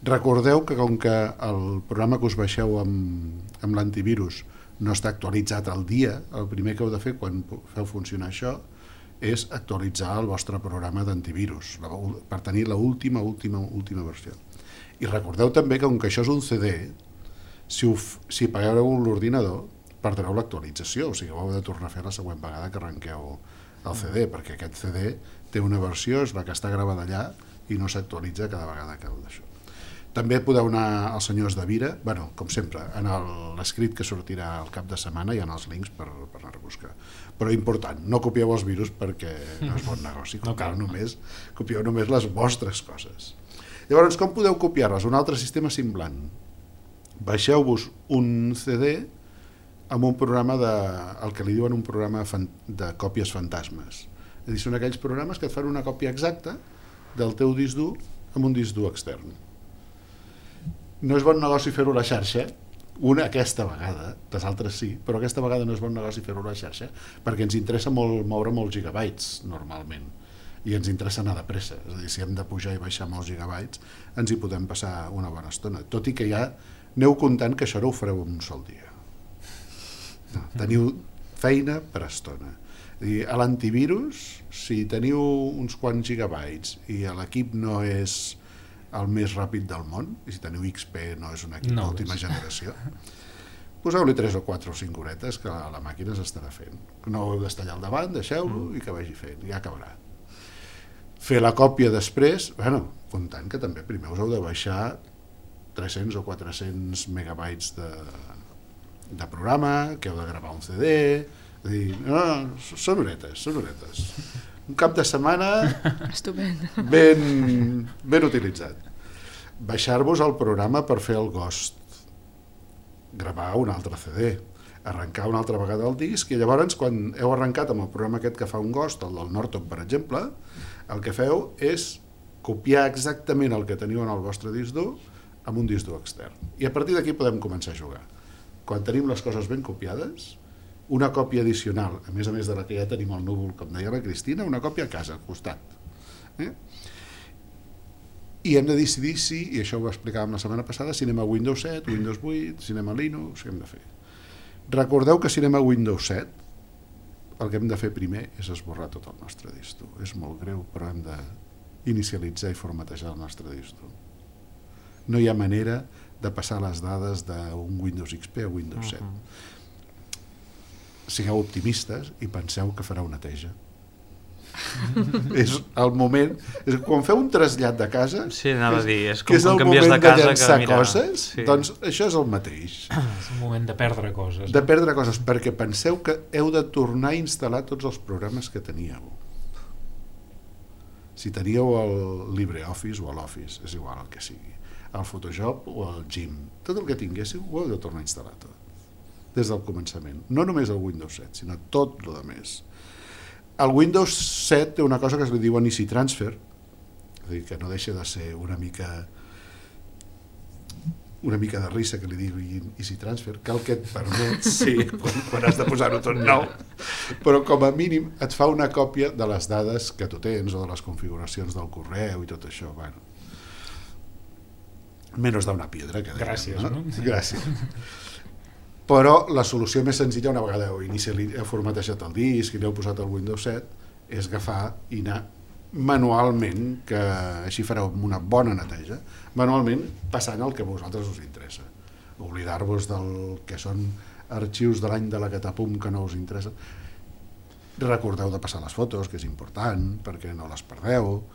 Speaker 4: Recordeu que com que el programa que us baixeu amb, amb l'antivirus no està actualitzat al dia, el primer que heu de fer quan feu funcionar això és actualitzar el vostre programa d'antivirus per tenir l'última, última, última versió. I recordeu també que com que això és un C D, si, ho, si pagueu l'ordinador, perdreu l'actualització, o sigui, ho heu de tornar a fer la següent vegada que arrenqueu el C D, perquè aquest C D té una versió, és la que està gravada allà i no s'actualitza cada vegada que heu d'això. També podeu anar als senyors de Vira, bueno, com sempre, en l'escrit que sortirà al cap de setmana hi ha els links per, per anar a buscar. Però important, no copieu els virus perquè no és bon negoci, copieu, no només, copieu només les vostres coses. Llavors, com podeu copiar-les? Un altre sistema semblant. Baixeu-vos un C D amb un programa de, el que li diuen un programa de còpies fantasmes. És a dir, són aquells programes que et fan una còpia exacta del teu disc dur amb un disc dur extern. No és bon negoci fer-ho a la xarxa, una aquesta vegada, les altres sí, però aquesta vegada no és bon negoci fer-ho a la xarxa perquè ens interessa molt moure molts gigabytes normalment, i ens interessa anar de pressa, és a dir, si hem de pujar i baixar molts gigabytes ens hi podem passar una bona estona, tot i que ja aneu comptant que això no ho fareu en un sol dia. No, teniu feina per estona. I a l'antivirus, si teniu uns quants gigabytes i l'equip no és el més ràpid del món, i si teniu X P no és un equip no d'última generació, poseu-li tres o quatre o cinc horetes que la màquina s'estarà fent. No ho heu d'estallar al davant, deixeu-lo mm. i que vagi fent, ja acabarà. Fer la còpia després, bueno, comptant que també primer us heu de baixar tres-cents o quatre-cents megabytes de, de programa, que heu de gravar un C D, és dir, no, són horetes, són horetes. Un cap de setmana ben, ben utilitzat. Baixar-vos el programa per fer el Ghost, gravar un altre C D, arrencar una altra vegada el disc, i llavors quan heu arrencat amb el programa aquest que fa un Ghost, el del Norton per exemple, el que feu és copiar exactament el que teniu en el vostre disc dur amb un disc dur extern. I a partir d'aquí podem començar a jugar. Quan tenim les coses ben copiades, una còpia addicional, a més a més de la que ja tenim al núvol, com deia la Cristina, una còpia a casa, al costat. Eh? I hem de decidir si, i això ho explicàvem la setmana passada, si anem a Windows set, Windows vuit, si anem a Linux, què hem de fer. Recordeu que si anem a Windows set, el que hem de fer primer és esborrar tot el nostre disc dur. És molt greu, però hem d'inicialitzar i formatejar el nostre disc dur. No hi ha manera de passar les dades d'un Windows X P a Windows set. Uh-huh. Sigueu optimistes i penseu que farà una neteja. És el moment, és quan feu un trasllat de casa,
Speaker 2: sí, anava a dir, és com
Speaker 4: que és el
Speaker 2: moment
Speaker 4: de,
Speaker 2: de casa
Speaker 4: llançar
Speaker 2: que, mira,
Speaker 4: coses, sí. Doncs això és el mateix.
Speaker 5: És un moment de perdre coses.
Speaker 4: De perdre coses, perquè penseu que heu de tornar a instal·lar tots els programes que teníeu. Si teníeu el LibreOffice o l'Office, és igual el que sigui, el Photoshop o el Gim, tot el que tinguéssiu ho heu de tornar a instal·lar tot, des del començament. No només el Windows set, sinó tot el més. El Windows set té una cosa que es li diuen Easy Transfer, és a dir, que no deixa de ser una mica una mica de risa que li diguin Easy Transfer, que el que et permet, sí, quan, quan has de posar-ho tot nou, però com a mínim et fa una còpia de les dades que tu tens o de les configuracions del correu i tot això. Bueno, menys d'una piedra, que dèiem,
Speaker 5: gràcies, no?
Speaker 4: no? Gràcies. Però la solució més senzilla, una vegada heu, heu formatejat el disc i l'heu posat al Windows set, és agafar i anar manualment, que així fareu una bona neteja, manualment passant el que a vosaltres us interessa. Oblidar-vos del que són arxius de l'any de la Catapum que no us interessa. Recordeu de passar les fotos, que és important, perquè no les perdeu.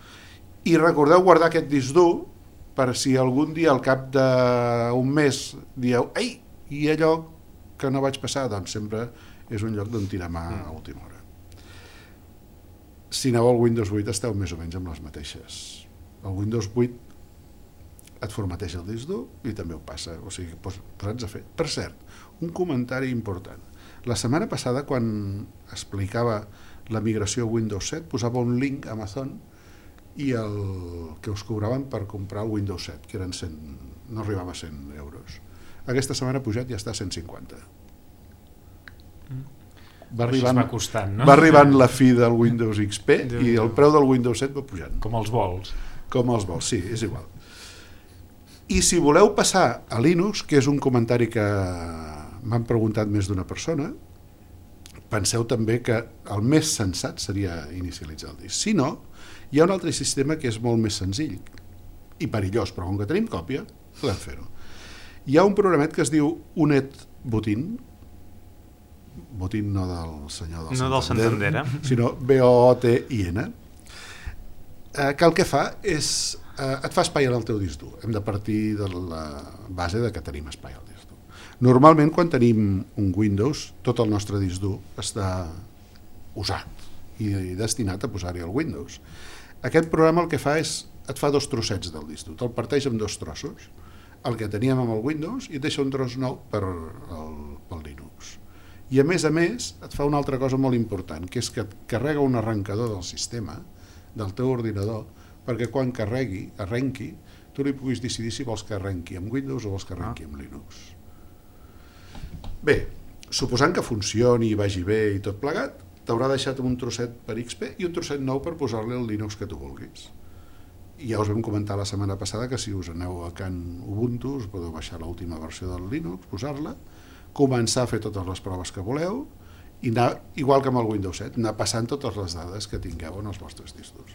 Speaker 4: I recordeu guardar aquest disc dur per si algun dia al cap d'un mes dieu ei, i allò que no vaig passar, doncs sempre és un lloc d'on tirar mà a última hora. Si aneu al Windows vuit esteu més o menys amb les mateixes. El Windows vuit et formateja el disc dur i també ho passa, o sigui, posats a fer. Per cert, un comentari important. La setmana passada, quan explicava la migració a Windows set, posava un link a Amazon i el que us cobraven per comprar el Windows set, que eren cent, no arribava a cent euros. Aquesta setmana ha pujat i ja està a cent cinquanta. Va arribant,
Speaker 5: va costant, no?
Speaker 4: Va arribant la fi del Windows X P i el preu del Windows set va pujant.
Speaker 5: Com els vols.
Speaker 4: Com els vols, sí, és igual. I si voleu passar a Linux, que és un comentari que m'han preguntat més d'una persona, penseu també que el més sensat seria inicialitzar el disc. Si no, hi ha un altre sistema que és molt més senzill i perillós, però com que tenim còpia, podem fer-ho. Hi ha un programet que es diu Unet Botin, Botin no del senyor del
Speaker 2: no
Speaker 4: Santander,
Speaker 2: del Santander eh?
Speaker 4: sinó B O O T I N, que el que fa és, eh, et fa espai en el teu disc dur. Hem de partir de la base de que tenim espai al disc dur. Normalment, quan tenim un Windows, tot el nostre disc dur està usat i destinat a posar-hi el Windows. Aquest programa el que fa és, et fa dos trossets del disc dur, te'l parteix en dos trossos, el que teníem amb el Windows i et deixa un tros nou per el, pel Linux. I a més a més et fa una altra cosa molt important, que és que et carrega un arrencador del sistema, del teu ordinador, perquè quan carregui, arrenqui, tu li puguis decidir si vols que arrenqui amb Windows o vols que arrenqui amb Linux. Bé, suposant que funcioni i vagi bé i tot plegat, t'haurà deixat un trosset per X P i un trosset nou per posar-li el Linux que tu vulguis. I ja us vam comentar la setmana passada que si us aneu a Can Ubuntu us podeu baixar l'última versió del Linux, posar-la, començar a fer totes les proves que voleu i anar, igual que amb el Windows set, anar passant totes les dades que tingueu en els vostres discos.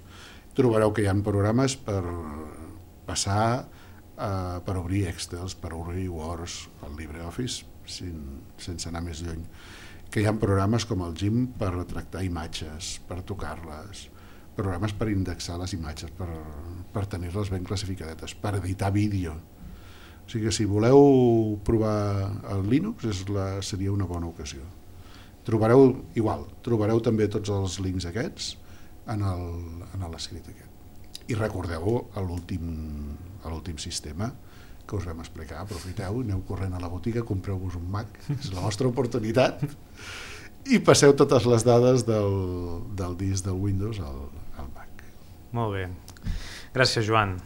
Speaker 4: Trobareu que hi ha programes per passar, eh, per obrir Excels, per obrir Words, el LibreOffice, sin, sense anar més lluny. Que hi ha programes com el Gim per retractar imatges, per tocar-les, programes per indexar les imatges, per, per tenir-les ben classificadetes, per editar vídeo. O sigui que si voleu provar el Linux és la, seria una bona ocasió. Trobareu, igual, trobareu també tots els links aquests en l'escrit aquest. I recordeu a l'últim sistema que us vam explicar, aprofiteu, aneu corrent a la botiga, compreu-vos un Mac, és la vostra oportunitat, i passeu totes les dades del, del disc del Windows al, al Mac.
Speaker 2: Molt bé. Gràcies, Joan.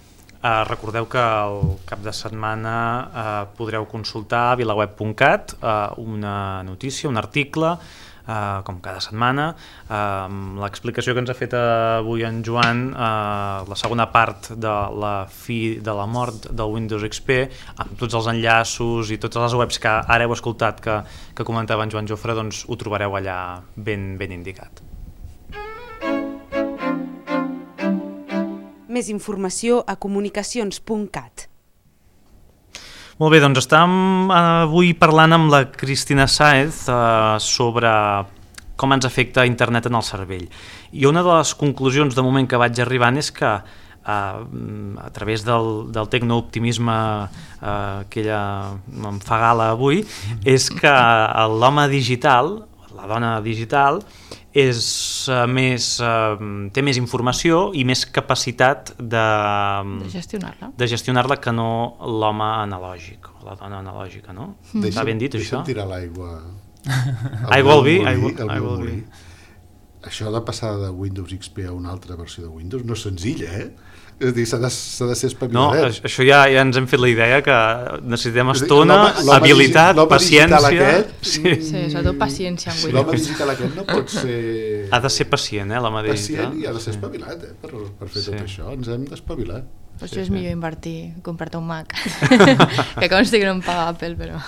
Speaker 2: Uh, recordeu que el cap de setmana uh, podreu consultar a vilaweb punt cat uh, una notícia, un article, uh, com cada setmana, uh, l'explicació que ens ha fet avui en Joan, uh, la segona part de la fi de la mort del Windows X P, amb tots els enllaços i totes les webs que ara heu escoltat que, que comentava en Joan Jofre, doncs ho trobareu allà ben, ben indicat.
Speaker 1: Més informació a comunicacions punt cat.
Speaker 2: Molt bé, doncs estem avui parlant amb la Cristina Sáez eh, sobre com ens afecta internet en el cervell. I una de les conclusions de moment que vaig arribant és que eh, a través del, del tecnooptimisme eh, que ella em fa gala avui, és que l'home digital, la dona digital, és uh, més, uh, té més informació i més capacitat de,
Speaker 3: de gestionar-la
Speaker 2: de gestionar-la que no l'home analògic, la dona analògica, no? Mm. Està ben dit, això?
Speaker 4: Deixa'm tirar l'aigua.
Speaker 2: Aigua al vi, aigua al vi.
Speaker 4: Això de passar de Windows X P a una altra versió de Windows no és senzill, eh? És a dir, s'ha de, s'ha de ser espaviladet.
Speaker 2: No, això ja, ja ens hem fet la idea que necessitem estona, habilitat, paciència...
Speaker 4: Aquest,
Speaker 3: sí. sí, sobretot paciència amb Windows.
Speaker 4: L'home digital aquest no pot ser...
Speaker 2: Ha de ser pacient, eh, l'home digital.
Speaker 4: Pacient i ha de ser espavilat, eh, per, per fer sí. tot això. Ens hem d'espavilar.
Speaker 3: Per això sí, és sí. millor invertir, comprar-te un Mac. Que consti que no em paga Apple, però...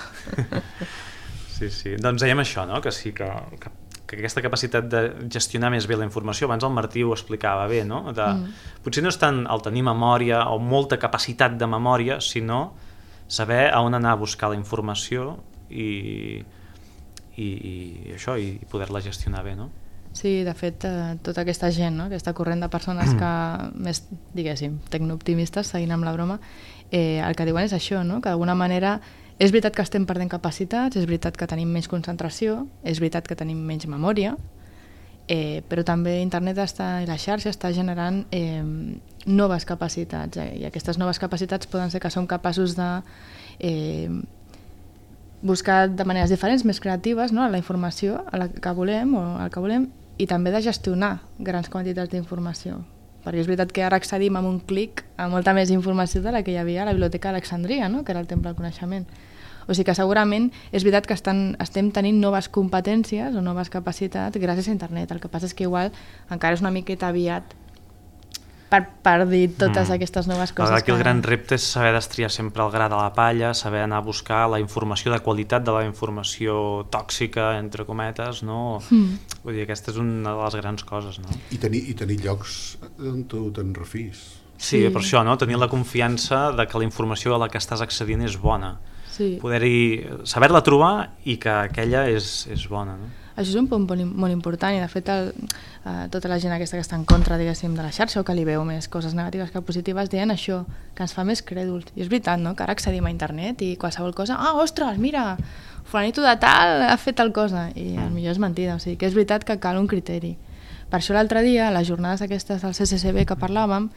Speaker 2: Sí, sí. Doncs dèiem això, no? Que sí, que... que que aquesta capacitat de gestionar més bé la informació, abans el Martí ho explicava bé, no? De, mm. Potser no és tant el tenir memòria o molta capacitat de memòria, sinó saber a on anar a buscar la informació i, i, i això, i poder-la gestionar bé, no?
Speaker 3: Sí, de fet, eh, tota aquesta gent, no? Aquesta corrent de persones que, més, diguéssim, tecnooptimistes, seguint amb la broma, eh, el que diuen és això, no? Que d'alguna manera és veritat que estem perdent capacitats, és veritat que tenim menys concentració, és veritat que tenim menys memòria, eh, però també internet està, i la xarxa està generant eh, noves capacitats, eh, i aquestes noves capacitats poden ser que som capaços de eh, buscar de maneres diferents, més creatives, no? La informació a la que volem o el que volem, i també de gestionar grans quantitats d'informació. Perquè és veritat que ara accedim amb un clic a molta més informació de la que hi havia a la Biblioteca d'Alexandria, no? Que era el temple del coneixement. O sigui que segurament és veritat que estan, estem tenint noves competències o noves capacitats gràcies a internet. El que passa és que igual encara és una miqueta aviat per, per dir totes mm. aquestes noves coses.
Speaker 2: Aquí el que... gran repte és saber destriar sempre el gra de la palla, saber anar a buscar la informació de qualitat de la informació tòxica, entre cometes, no? Mm. Vull dir, aquesta és una de les grans coses, no?
Speaker 4: I tenir, i tenir llocs on tu te'n refis.
Speaker 2: Sí, sí, per això, no? Tenir la confiança de que la informació a la que estàs accedint és bona.
Speaker 3: Sí.
Speaker 2: Poder-hi, saber-la trobar i que aquella és, és bona, no?
Speaker 3: Això és un punt molt important i de fet el, eh, tota la gent aquesta que està en contra, diguéssim, de la xarxa o que li veu més coses negatives que positives deien això, que ens fa més crèduls. I és veritat, no?, que ara accedim a internet i qualsevol cosa, ah, ostres, mira, fulanito de tal ha fet tal cosa, i el millor és mentida, o sigui que és veritat que cal un criteri. Per això l'altre dia, a les jornades aquestes del C C C B que parlàvem,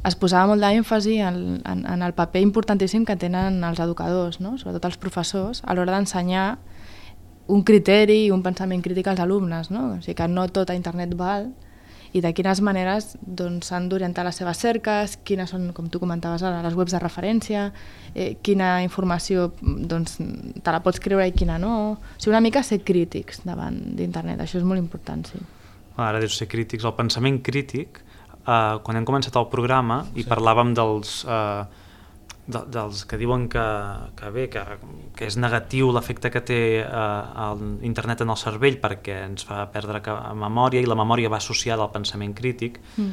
Speaker 3: es posava molt d'èmfasi en, en, en el paper importantíssim que tenen els educadors, no?, sobretot els professors, a l'hora d'ensenyar un criteri i un pensament crític als alumnes, no? O sigui que no tot a internet val, i de quines maneres doncs, s'han d'orientar les seves cerques, quines són, com tu comentaves ara, les webs de referència, eh, quina informació doncs, te la pots creure i quina no. O sigui, una mica ser crítics davant d'internet, això és molt important, sí.
Speaker 2: Ara dius ser crítics. El pensament crític, eh, quan hem començat el programa i sí. parlàvem dels... Eh, de, dels que diuen que, que bé, que, que és negatiu l'efecte que té eh, el internet en el cervell perquè ens fa perdre memòria i la memòria va associada al pensament crític. Mm.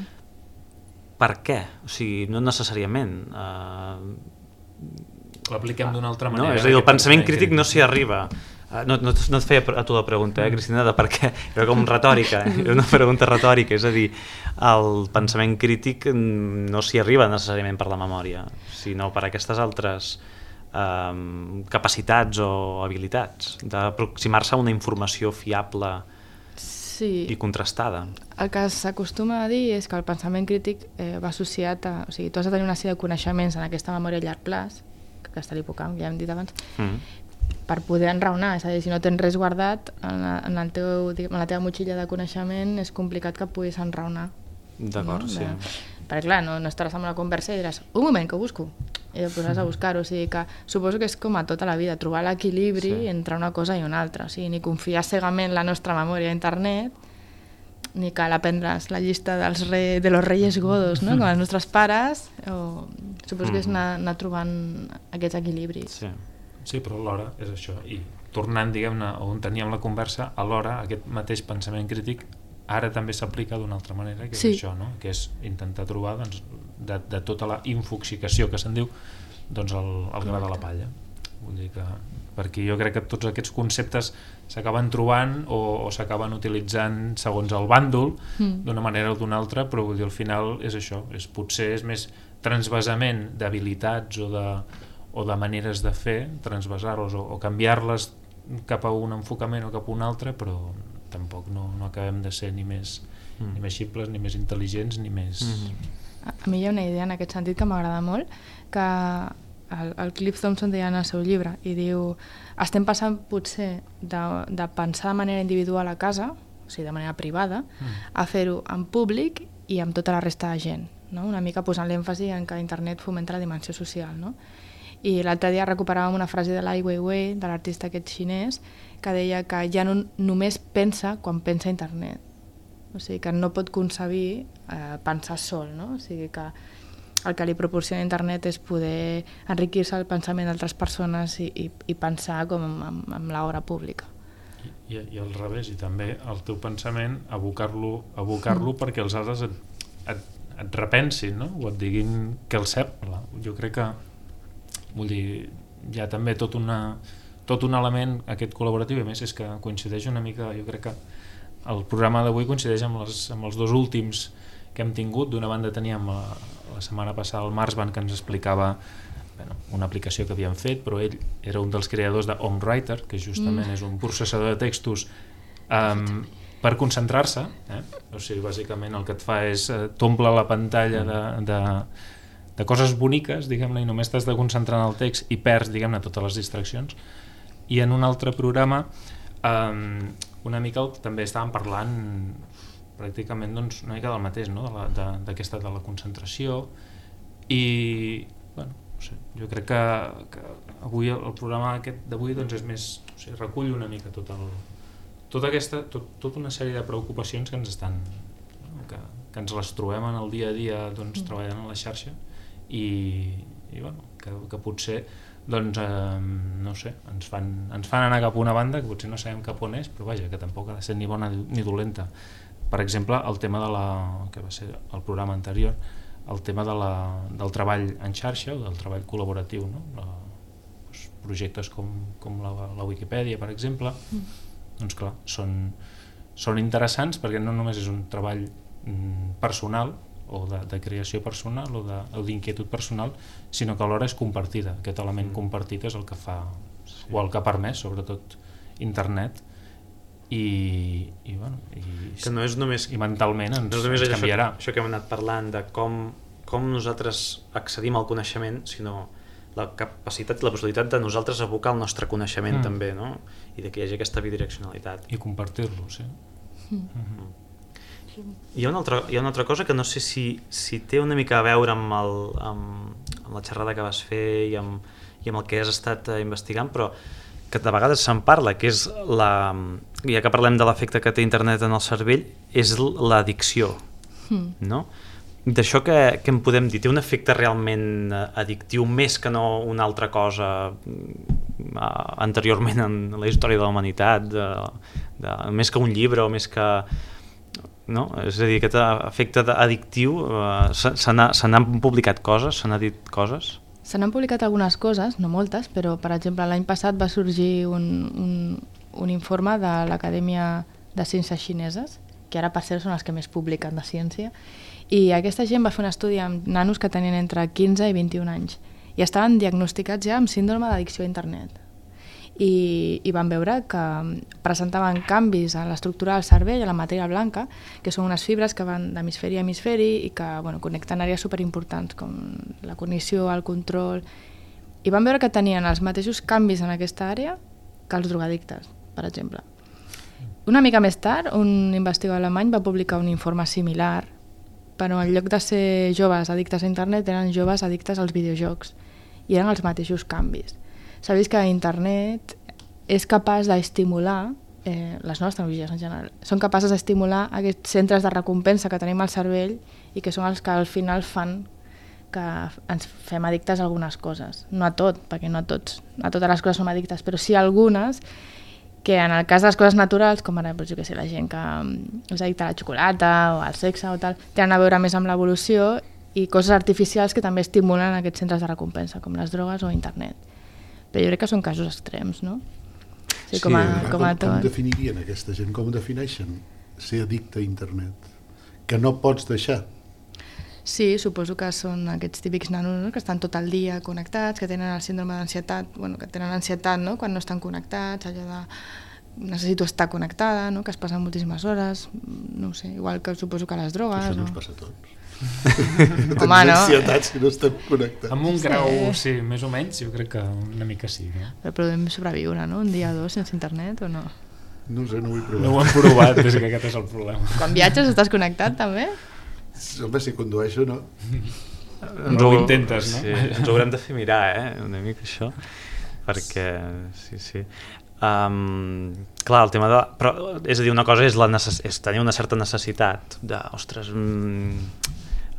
Speaker 2: Per què? O sigui, no necessàriament. Eh...
Speaker 5: L'apliquem d'una altra manera.
Speaker 2: No, és a dir, el pensament crític no s'hi arriba. No, no, no et feia a tu la pregunta, eh, Cristina, de per què, era com retòrica, era una pregunta retòrica, és a dir, el pensament crític no s'hi arriba necessàriament per la memòria, sinó per aquestes altres eh, capacitats o habilitats d'aproximar-se a una informació fiable
Speaker 3: sí.
Speaker 2: i contrastada.
Speaker 3: El que s'acostuma a dir és que el pensament crític eh, va associat a... O sigui, tu has de tenir una sèrie de coneixements en aquesta memòria a llarg plaç, que està a l'hipocamp, ja hem dit abans, mm. per poder enraonar, és a dir, si no tens res guardat en la, en el teu, en la teva motxilla de coneixement és complicat que puguis enraonar.
Speaker 2: D'acord, no? sí.
Speaker 3: De, perquè clar, no, no estaràs amb una conversa i diràs, un moment, que ho busco, i et posaràs a buscar-ho, o sigui que suposo que és com a tota la vida, trobar l'equilibri sí. entre una cosa i una altra, o sigui, ni confiar cegament la nostra memòria a internet, ni cal aprendre's la llista dels re, de los reyes godos, no? com els nostres pares, o suposo que és anar, anar trobant aquests equilibris.
Speaker 2: Sí.
Speaker 5: Sí, però alhora és això, i tornant, diguem-ne, on teníem la conversa, alhora aquest mateix pensament crític ara també s'aplica d'una altra manera, que és
Speaker 3: sí.
Speaker 5: això, no? Que és intentar trobar doncs, de, de tota la infoxicació que se'n diu, doncs el, el gra de la palla. Vull dir que, perquè jo crec que tots aquests conceptes s'acaben trobant o, o s'acaben utilitzant segons el bàndol, mm. d'una manera o d'una altra, però vull dir, al final és això, és, potser és més transvasament d'habilitats o de o de maneres de fer, transvasar-los o, o canviar-les cap a un enfocament o cap a un altre, però tampoc no, no acabem de ser ni més, mm. ni més ximples, ni més intel·ligents, ni més... Mm-hmm.
Speaker 3: A, a mi hi ha una idea en aquest sentit que m'agrada molt, que el, el Cliff Thompson deia en el seu llibre, i diu, estem passant potser de, de pensar de manera individual a casa, o sigui, de manera privada, mm. a fer-ho en públic i amb tota la resta de gent, no? Una mica posant l'èmfasi en que internet fomenta la dimensió social, no? I l'altre dia recuperàvem una frase de Ai Weiwei, de l'artista aquest xinès, que deia que ja no només pensa quan pensa a internet. O sigui, que no pot concebir eh, pensar sol, no? O sigui, que el que li proporciona internet és poder enriquir-se el pensament d'altres persones i, i, i pensar com amb, amb l'obra pública.
Speaker 5: I, I al revés, i també el teu pensament, abocar-lo abocar-lo mm. perquè els altres et, et, et repensin, no? O et diguin que el cep. Jo crec que vull dir, hi ha també tot, una, tot un element aquest col·laboratiu, i a més és que coincideix una mica, jo crec que el programa d'avui coincideix amb, les, amb els dos últims que hem tingut. D'una banda teníem la, la setmana passada el Marsban, que ens explicava bueno, una aplicació que havien fet, però ell era un dels creadors de OmWriter, que justament mm. és un processador de textos um, per concentrar-se, eh? O sigui, bàsicament el que et fa és eh, t'omple la pantalla de, de de coses boniques, diguem-ne, i només t'has de concentrar en el text i perds, diguem-ne, totes les distraccions. I en un altre programa um, una mica el, també estàvem parlant pràcticament doncs, una mica del mateix, no? d'aquesta de, de la concentració, i bueno, no sé, jo crec que, que avui el, el programa aquest d'avui doncs, és més, o sigui, recull una mica tot el, tota aquesta, tot, tota una sèrie de preocupacions que ens estan, no? que, que ens les trobem en el dia a dia doncs, treballant a la xarxa, i, i bueno, que, que potser doncs, eh, no sé, ens fan, ens fan anar cap a una banda que potser no sabem cap on és, però vaja, que tampoc ha de ser ni bona ni dolenta. Per exemple, el tema de la, que va ser el programa anterior, el tema de la, del treball en xarxa o del treball col·laboratiu, no? La, doncs, projectes com, com la, la Wikipedia, per exemple, mm. doncs clar, són, són interessants perquè no només és un treball mm, personal, o de, de creació personal o d'inquietud personal, sinó que alhora és compartida. Aquest element mm. compartit és el que fa, sí. o el que ha permès, sobretot, internet, i, i, bueno, i,
Speaker 2: que no és només,
Speaker 5: i mentalment ens,
Speaker 2: no és només
Speaker 5: ens canviarà.
Speaker 2: Això, això que hem anat parlant de com, com nosaltres accedim al coneixement, sinó la capacitat i la possibilitat de nosaltres abocar el nostre coneixement mm. també, no? I de que hi hagi aquesta bidireccionalitat.
Speaker 5: I compartir-lo, sí. Mm.
Speaker 2: Mm-hmm. Hi ha, una altra, hi ha una altra cosa que no sé si, si té una mica a veure amb, el, amb, amb la xerrada que vas fer i amb, i amb el que has estat eh, investigant, però que de vegades se'n parla, que és la, ja que parlem de l'efecte que té internet en el cervell, és l'addicció, mm. no? D'això que, que en podem dir, té un efecte realment addictiu més que no una altra cosa uh, anteriorment en la història de la humanitat, de, de, més que un llibre o més que... No? És a dir, aquest efecte addictiu, uh, se, se n'han publicat coses, se n'ha dit coses?
Speaker 3: Se n'han publicat algunes coses, no moltes, però per exemple l'any passat va sorgir un, un, un informe de l'Acadèmia de Ciències Xineses, que ara per cert són els que més publiquen de ciència, i aquesta gent va fer un estudi amb nanos que tenien entre quinze i vint-i-un anys i estaven diagnosticats ja amb síndrome d'addicció a internet. I, i van veure que presentaven canvis a l'estructura del cervell, a la matèria blanca, que són unes fibres que van d'hemisferi a hemisferi i que bueno, connecten àrees superimportants com la cognició, el control, i van veure que tenien els mateixos canvis en aquesta àrea que els drogadictes, per exemple. Una mica més tard, un investigador alemany va publicar un informe similar, però en lloc de ser joves addictes a internet eren joves addictes als videojocs i eren els mateixos canvis. S'ha vist que internet és capaç d'estimular, eh, les noves tecnologies en general, són capaces d'estimular aquests centres de recompensa que tenim al cervell i que són els que al final fan que ens fem addictes a algunes coses. No a tot, perquè no a tots, a totes les coses som addictes, però sí a algunes que en el cas de les coses naturals, com ara doncs, jo que sé, la gent que és addicta a la xocolata o al sexe o tal, tenen a veure més amb l'evolució i coses artificials que també estimulen aquests centres de recompensa, com les drogues o internet. Però jo crec que són casos extrems, no? O sigui, com a,
Speaker 4: sí,
Speaker 3: com a
Speaker 4: com, com definirien aquesta gent? Com defineixen ser addicte a internet? Que no pots deixar?
Speaker 3: Sí, suposo que són aquests típics nanos, no? Que estan tot el dia connectats, que tenen el síndrome d'ansietat, bueno, que tenen ansietat, no? Quan no estan connectats, allò de necessito estar connectada, no? Que es passen moltíssimes hores, no ho sé, igual que suposo que les drogues.
Speaker 4: Això no
Speaker 3: o...
Speaker 4: ens passa a tots.
Speaker 3: Home, no?
Speaker 4: Ansietat si no estem connectats.
Speaker 5: Amb un grau, sí, més o menys, jo crec que una mica sí. No?
Speaker 3: Però podem sobreviure, no? Un dia o dos sense internet o no?
Speaker 4: No sé, no ho he provat.
Speaker 5: No ho hem provat, és que aquest és el problema.
Speaker 3: Quan viatges estàs connectat, també?
Speaker 4: Home, si condueixo, no.
Speaker 5: No ho intentes, no?
Speaker 2: Sí, ens ho haurem de fer mirar, eh? Una mica això, perquè, sí, sí. Um, clar, el tema de... Però, és a dir, una cosa és, la necess... és tenir una certa necessitat de, ostres... Mm,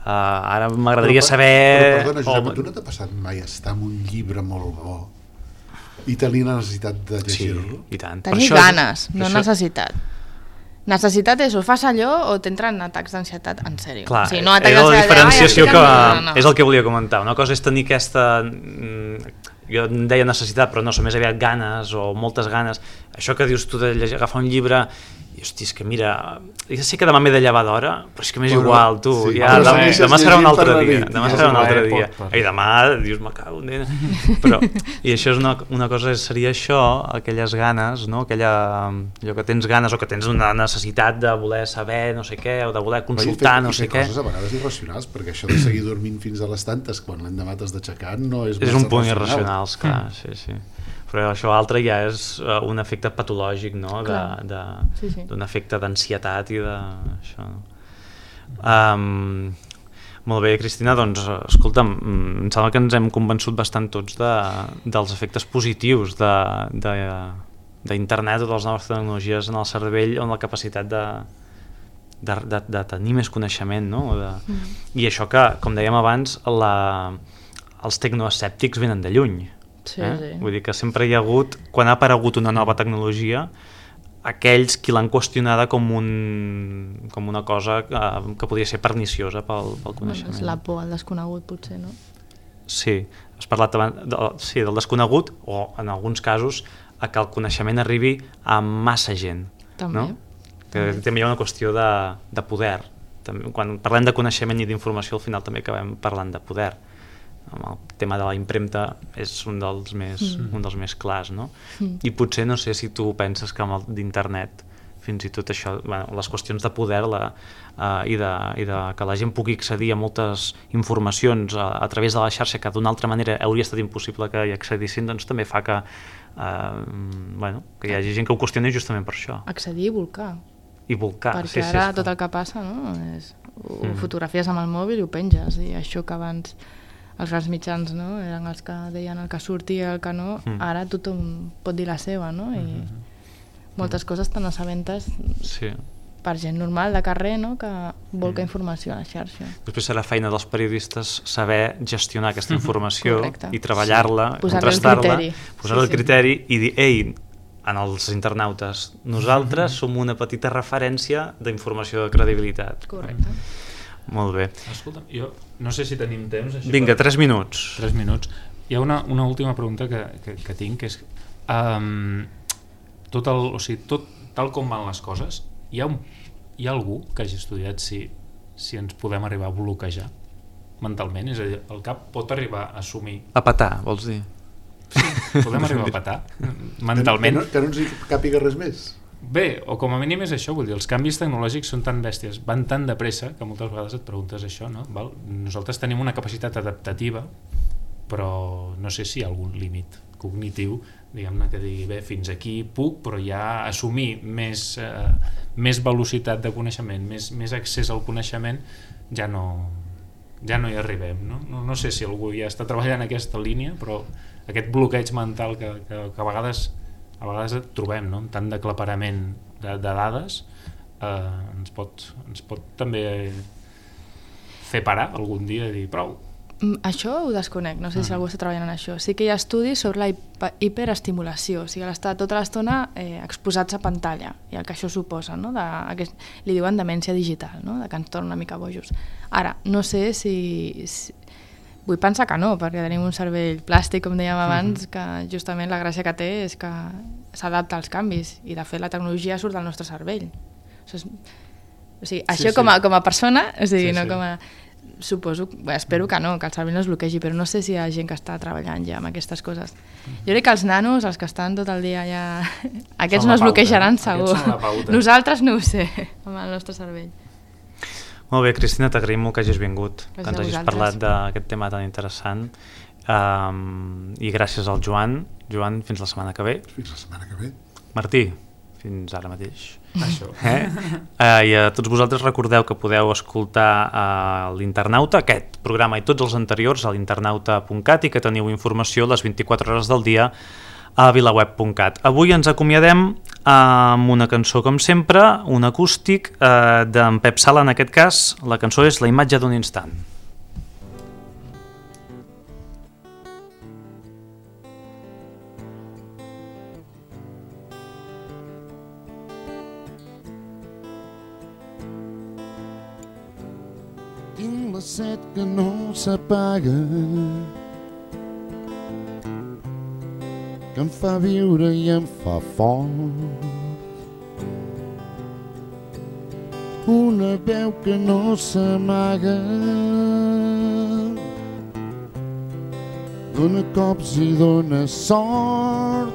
Speaker 2: uh, ara m'agradaria saber...
Speaker 4: Però perdona, Josep,
Speaker 2: oh,
Speaker 4: tu no t'ha passat mai estar amb un llibre molt bo i tenir la necessitat de llegir-lo?
Speaker 2: Sí, i tant.
Speaker 3: Tenir ganes, no això... necessitat. Necessitat és o fas allò o t'entren atacs d'ansietat en sèrio.
Speaker 2: Clar,
Speaker 3: o sigui, no
Speaker 2: és la diferenciació que...
Speaker 3: No, no.
Speaker 2: És el que volia comentar. Una cosa és tenir aquesta... Jo en deia necessitat, però no, són més aviat ganes o moltes ganes. Això que dius tu de llegir, agafar un llibre i, hosti, és que mira, ja sé que demà m'he de llevar d'hora, però és que m'és igual, tu,
Speaker 4: sí,
Speaker 2: ja, demà, demà serà un altre dia, demà serà un altre
Speaker 5: eh,
Speaker 2: dia.
Speaker 5: pot, pot.
Speaker 2: I demà, dius, me cago en Déu. Però, i això és una, una cosa, seria això, aquelles ganes, no? Aquella, allò que tens ganes o que tens una necessitat de voler saber no sé què, o de voler consultar no sé què.
Speaker 4: I fer coses a vegades irracionals, perquè això de seguir dormint fins a les tantes quan l'endemà t'has d'aixecar no és...
Speaker 2: És un punt irracional, clar, sí, sí. Però això altre ja és uh, un efecte patològic, no? De, de,
Speaker 3: sí, sí.
Speaker 2: d'un efecte d'ansietat i de... Això, no? Um, molt bé, Cristina, doncs, escolta'm, em sembla que ens hem convençut bastant tots de, dels efectes positius d'internet o de les noves tecnologies en el cervell o en la capacitat de, de, de, de tenir més coneixement, no? De, mm. I això que, com dèiem abans, la, els tecnoescèptics venen de lluny.
Speaker 3: Sí,
Speaker 2: eh?
Speaker 3: sí.
Speaker 2: Vull dir que sempre hi ha hagut, quan ha aparegut una nova tecnologia, aquells qui l'han qüestionada com, un, com una cosa que, que podria ser perniciosa pel, pel coneixement.
Speaker 3: Bueno, és la por al desconegut, potser, no?
Speaker 2: Sí, has parlat abans de, sí, del desconegut o, en alguns casos, a que el coneixement arribi a massa gent.
Speaker 3: També.
Speaker 2: No? Que també hi ha una qüestió de, de poder. També, quan parlem de coneixement i d'informació, al final també acabem parlant de poder. El tema de la impremta és un dels més, mm. un dels més clars, no? Mm. I potser no sé si tu penses que amb el d'internet fins i tot això, bueno, les qüestions de poder la, uh, i, de, i de que la gent pugui accedir a moltes informacions a, a través de la xarxa que d'una altra manera hauria estat impossible que hi accedissin, doncs també fa que, uh, bueno, que hi hagi gent que ho qüestioni justament per això.
Speaker 3: Accedir i volcar.
Speaker 2: I volcar,
Speaker 3: perquè
Speaker 2: sí, sí.
Speaker 3: ara
Speaker 2: Sí,
Speaker 3: tot el que passa, no? És, ho
Speaker 2: Mm.
Speaker 3: fotografies amb el mòbil i ho penges, i això que abans els grans mitjans, no?, eren els que deien el que sortia i el que no,
Speaker 2: Mm.
Speaker 3: ara tothom pot dir la seva, no? I
Speaker 5: Mm-hmm.
Speaker 3: moltes coses te n'assabentes
Speaker 2: sí.
Speaker 3: per gent normal de carrer, no?, que volca
Speaker 2: Mm.
Speaker 3: informació a la xarxa.
Speaker 2: Després serà feina dels periodistes saber gestionar aquesta informació
Speaker 3: Correcte.
Speaker 2: i treballar-la,
Speaker 3: Sí. Posar-li el
Speaker 2: contrastar-la,
Speaker 3: criteri.
Speaker 2: posar-li
Speaker 3: Sí,
Speaker 2: el
Speaker 3: sí.
Speaker 2: criteri i dir, ei, en els internautes, nosaltres som una petita referència d'informació de credibilitat.
Speaker 3: Correcte.
Speaker 2: Molt bé.
Speaker 5: Escolta'm, jo no sé si tenim temps... Així
Speaker 2: Vinga,
Speaker 5: per...
Speaker 2: tres minuts.
Speaker 5: Tres minuts. Hi ha una, una última pregunta que, que, que tinc, que és... Um, tot el, o sigui, tot, tal com van les coses, hi ha, un, hi ha algú que hagi estudiat si, si ens podem arribar a bloquejar mentalment? És a dir, el cap pot arribar a assumir...
Speaker 2: A petar, vols dir?
Speaker 5: Sí, podem arribar a petar mentalment?
Speaker 4: Que no, que no ens hi càpiga res més.
Speaker 5: Bé, o com a mínim és això, vull dir, els canvis tecnològics són tan bèsties, van tan de pressa, que moltes vegades et preguntes això, no? Val? Nosaltres tenim una capacitat adaptativa, però no sé si hi ha algun límit cognitiu, diguem-ne, que digui, bé, fins aquí puc, però ja assumir més, eh, més velocitat de coneixement, més, més accés al coneixement, ja no, ja no hi arribem, no? No, no sé si algú ja està treballant en aquesta línia, però aquest bloqueig mental que, que, que a vegades a vegades trobem, no?, tant d'aclaparament de, de dades, eh, ens, pot, ens pot també fer parar algun dia i dir prou.
Speaker 3: Això ho desconec, no sé si algú està treballant en això. Sí que hi ha estudis sobre la hiper hiperestimulació, o sigui, l'estar tota l'estona eh, exposats a pantalla, i el que això suposa, no?, de, aquest, li diuen demència digital, no?, de que ens torna una mica bojos. Ara, no sé si... si vull pensar que no, perquè tenim un cervell plàstic, com dèiem abans, que justament la gràcia que té és que s'adapta als canvis, i de fet la tecnologia surt del nostre cervell. O sigui, o sigui això
Speaker 5: sí.
Speaker 3: com, a, com a persona, o sigui,
Speaker 5: Sí,
Speaker 3: no
Speaker 5: sí.
Speaker 3: com a... Suposo, bé, espero que no, que el cervell no es bloquegi, però no sé si hi ha gent que està treballant ja amb aquestes coses. Jo crec que els nanos, els que estan tot el dia ja... Aquests
Speaker 5: Són
Speaker 3: no
Speaker 5: la
Speaker 3: es
Speaker 5: pauta,
Speaker 3: bloquejaran
Speaker 5: eh?
Speaker 3: segur.
Speaker 5: Aquests són la pauta.
Speaker 3: Nosaltres no ho sé, amb el nostre cervell.
Speaker 2: Molt bé, Cristina, t'agraïm molt que hagis vingut,
Speaker 3: Gràcies
Speaker 2: que ens
Speaker 3: a
Speaker 2: hagis
Speaker 3: vosaltres.
Speaker 2: parlat d'aquest tema tan interessant. Um, I gràcies al Joan. Joan, fins la setmana que ve.
Speaker 4: Fins la setmana que ve.
Speaker 2: Martí, fins ara mateix.
Speaker 5: Això.
Speaker 2: Eh? Uh, I a tots vosaltres recordeu que podeu escoltar uh, l'Internauta, aquest programa i tots els anteriors a l'internauta punt cat, i que teniu informació les vint-i-quatre hores del dia a vilaweb punt cat. Avui ens acomiadem amb una cançó, com sempre, un acústic eh, d'en Pep Sala, en aquest cas. La cançó és La imatge d'un instant.
Speaker 7: Tinc la set que no s'apaga, que em fa viure i em fa fort. Una veu que no s'amaga, dona cops i dona sort.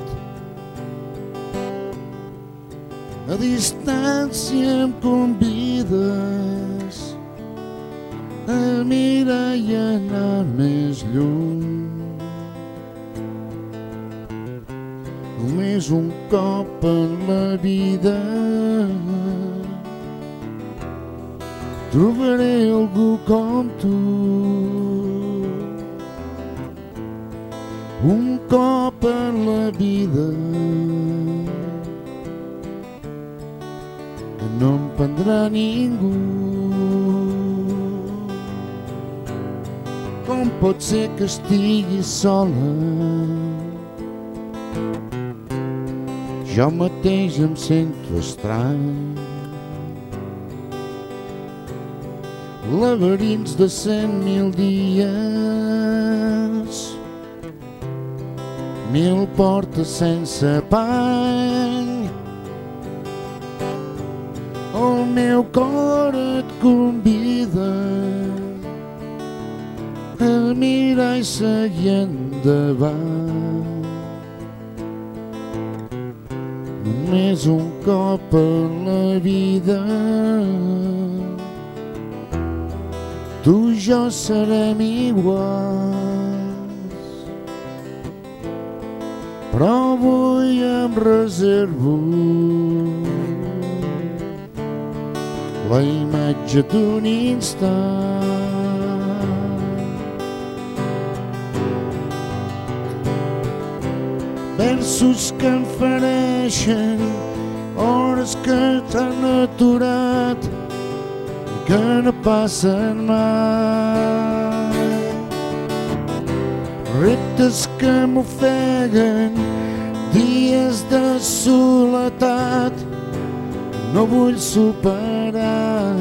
Speaker 7: A distància em convides a mirar i anar més lluny. Només un cop en la vida trobaré algú com tu. Un cop en la vida que no em prendrà ningú. Com pot ser que estigui sola? Jo mateix em sento estrany. Laberints de cent mil dies, mil portes sense pany. El meu cor et convida a mirar i seguir endavant. només un cop a la vida. Tu i jo serem iguals, però avui em reservo la imatge d'un instant. Versos que em fereixen, hores que t'han aturat i que no passen mai. Reptes que m'ofeguen, dies de soledat, no vull superar.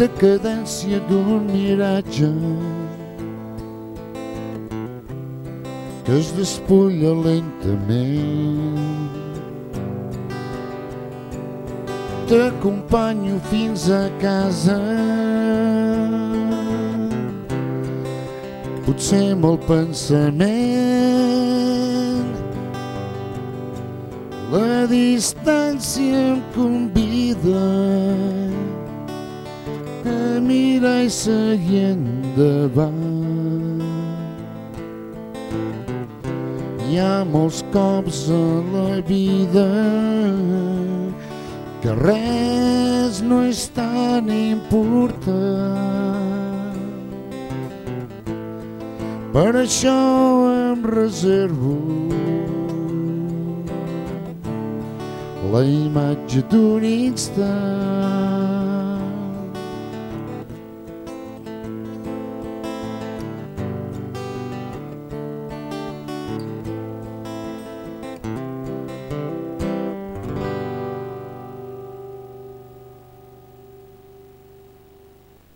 Speaker 7: Decadència d'un miratge que es despulla lentament. T'acompanyo fins a casa, potser amb el pensament. La distància em convida a mirar i seguir endavant. Hi ha molts cops a la vida que res no és tan important. Per això em reservo la imatge d'un instant.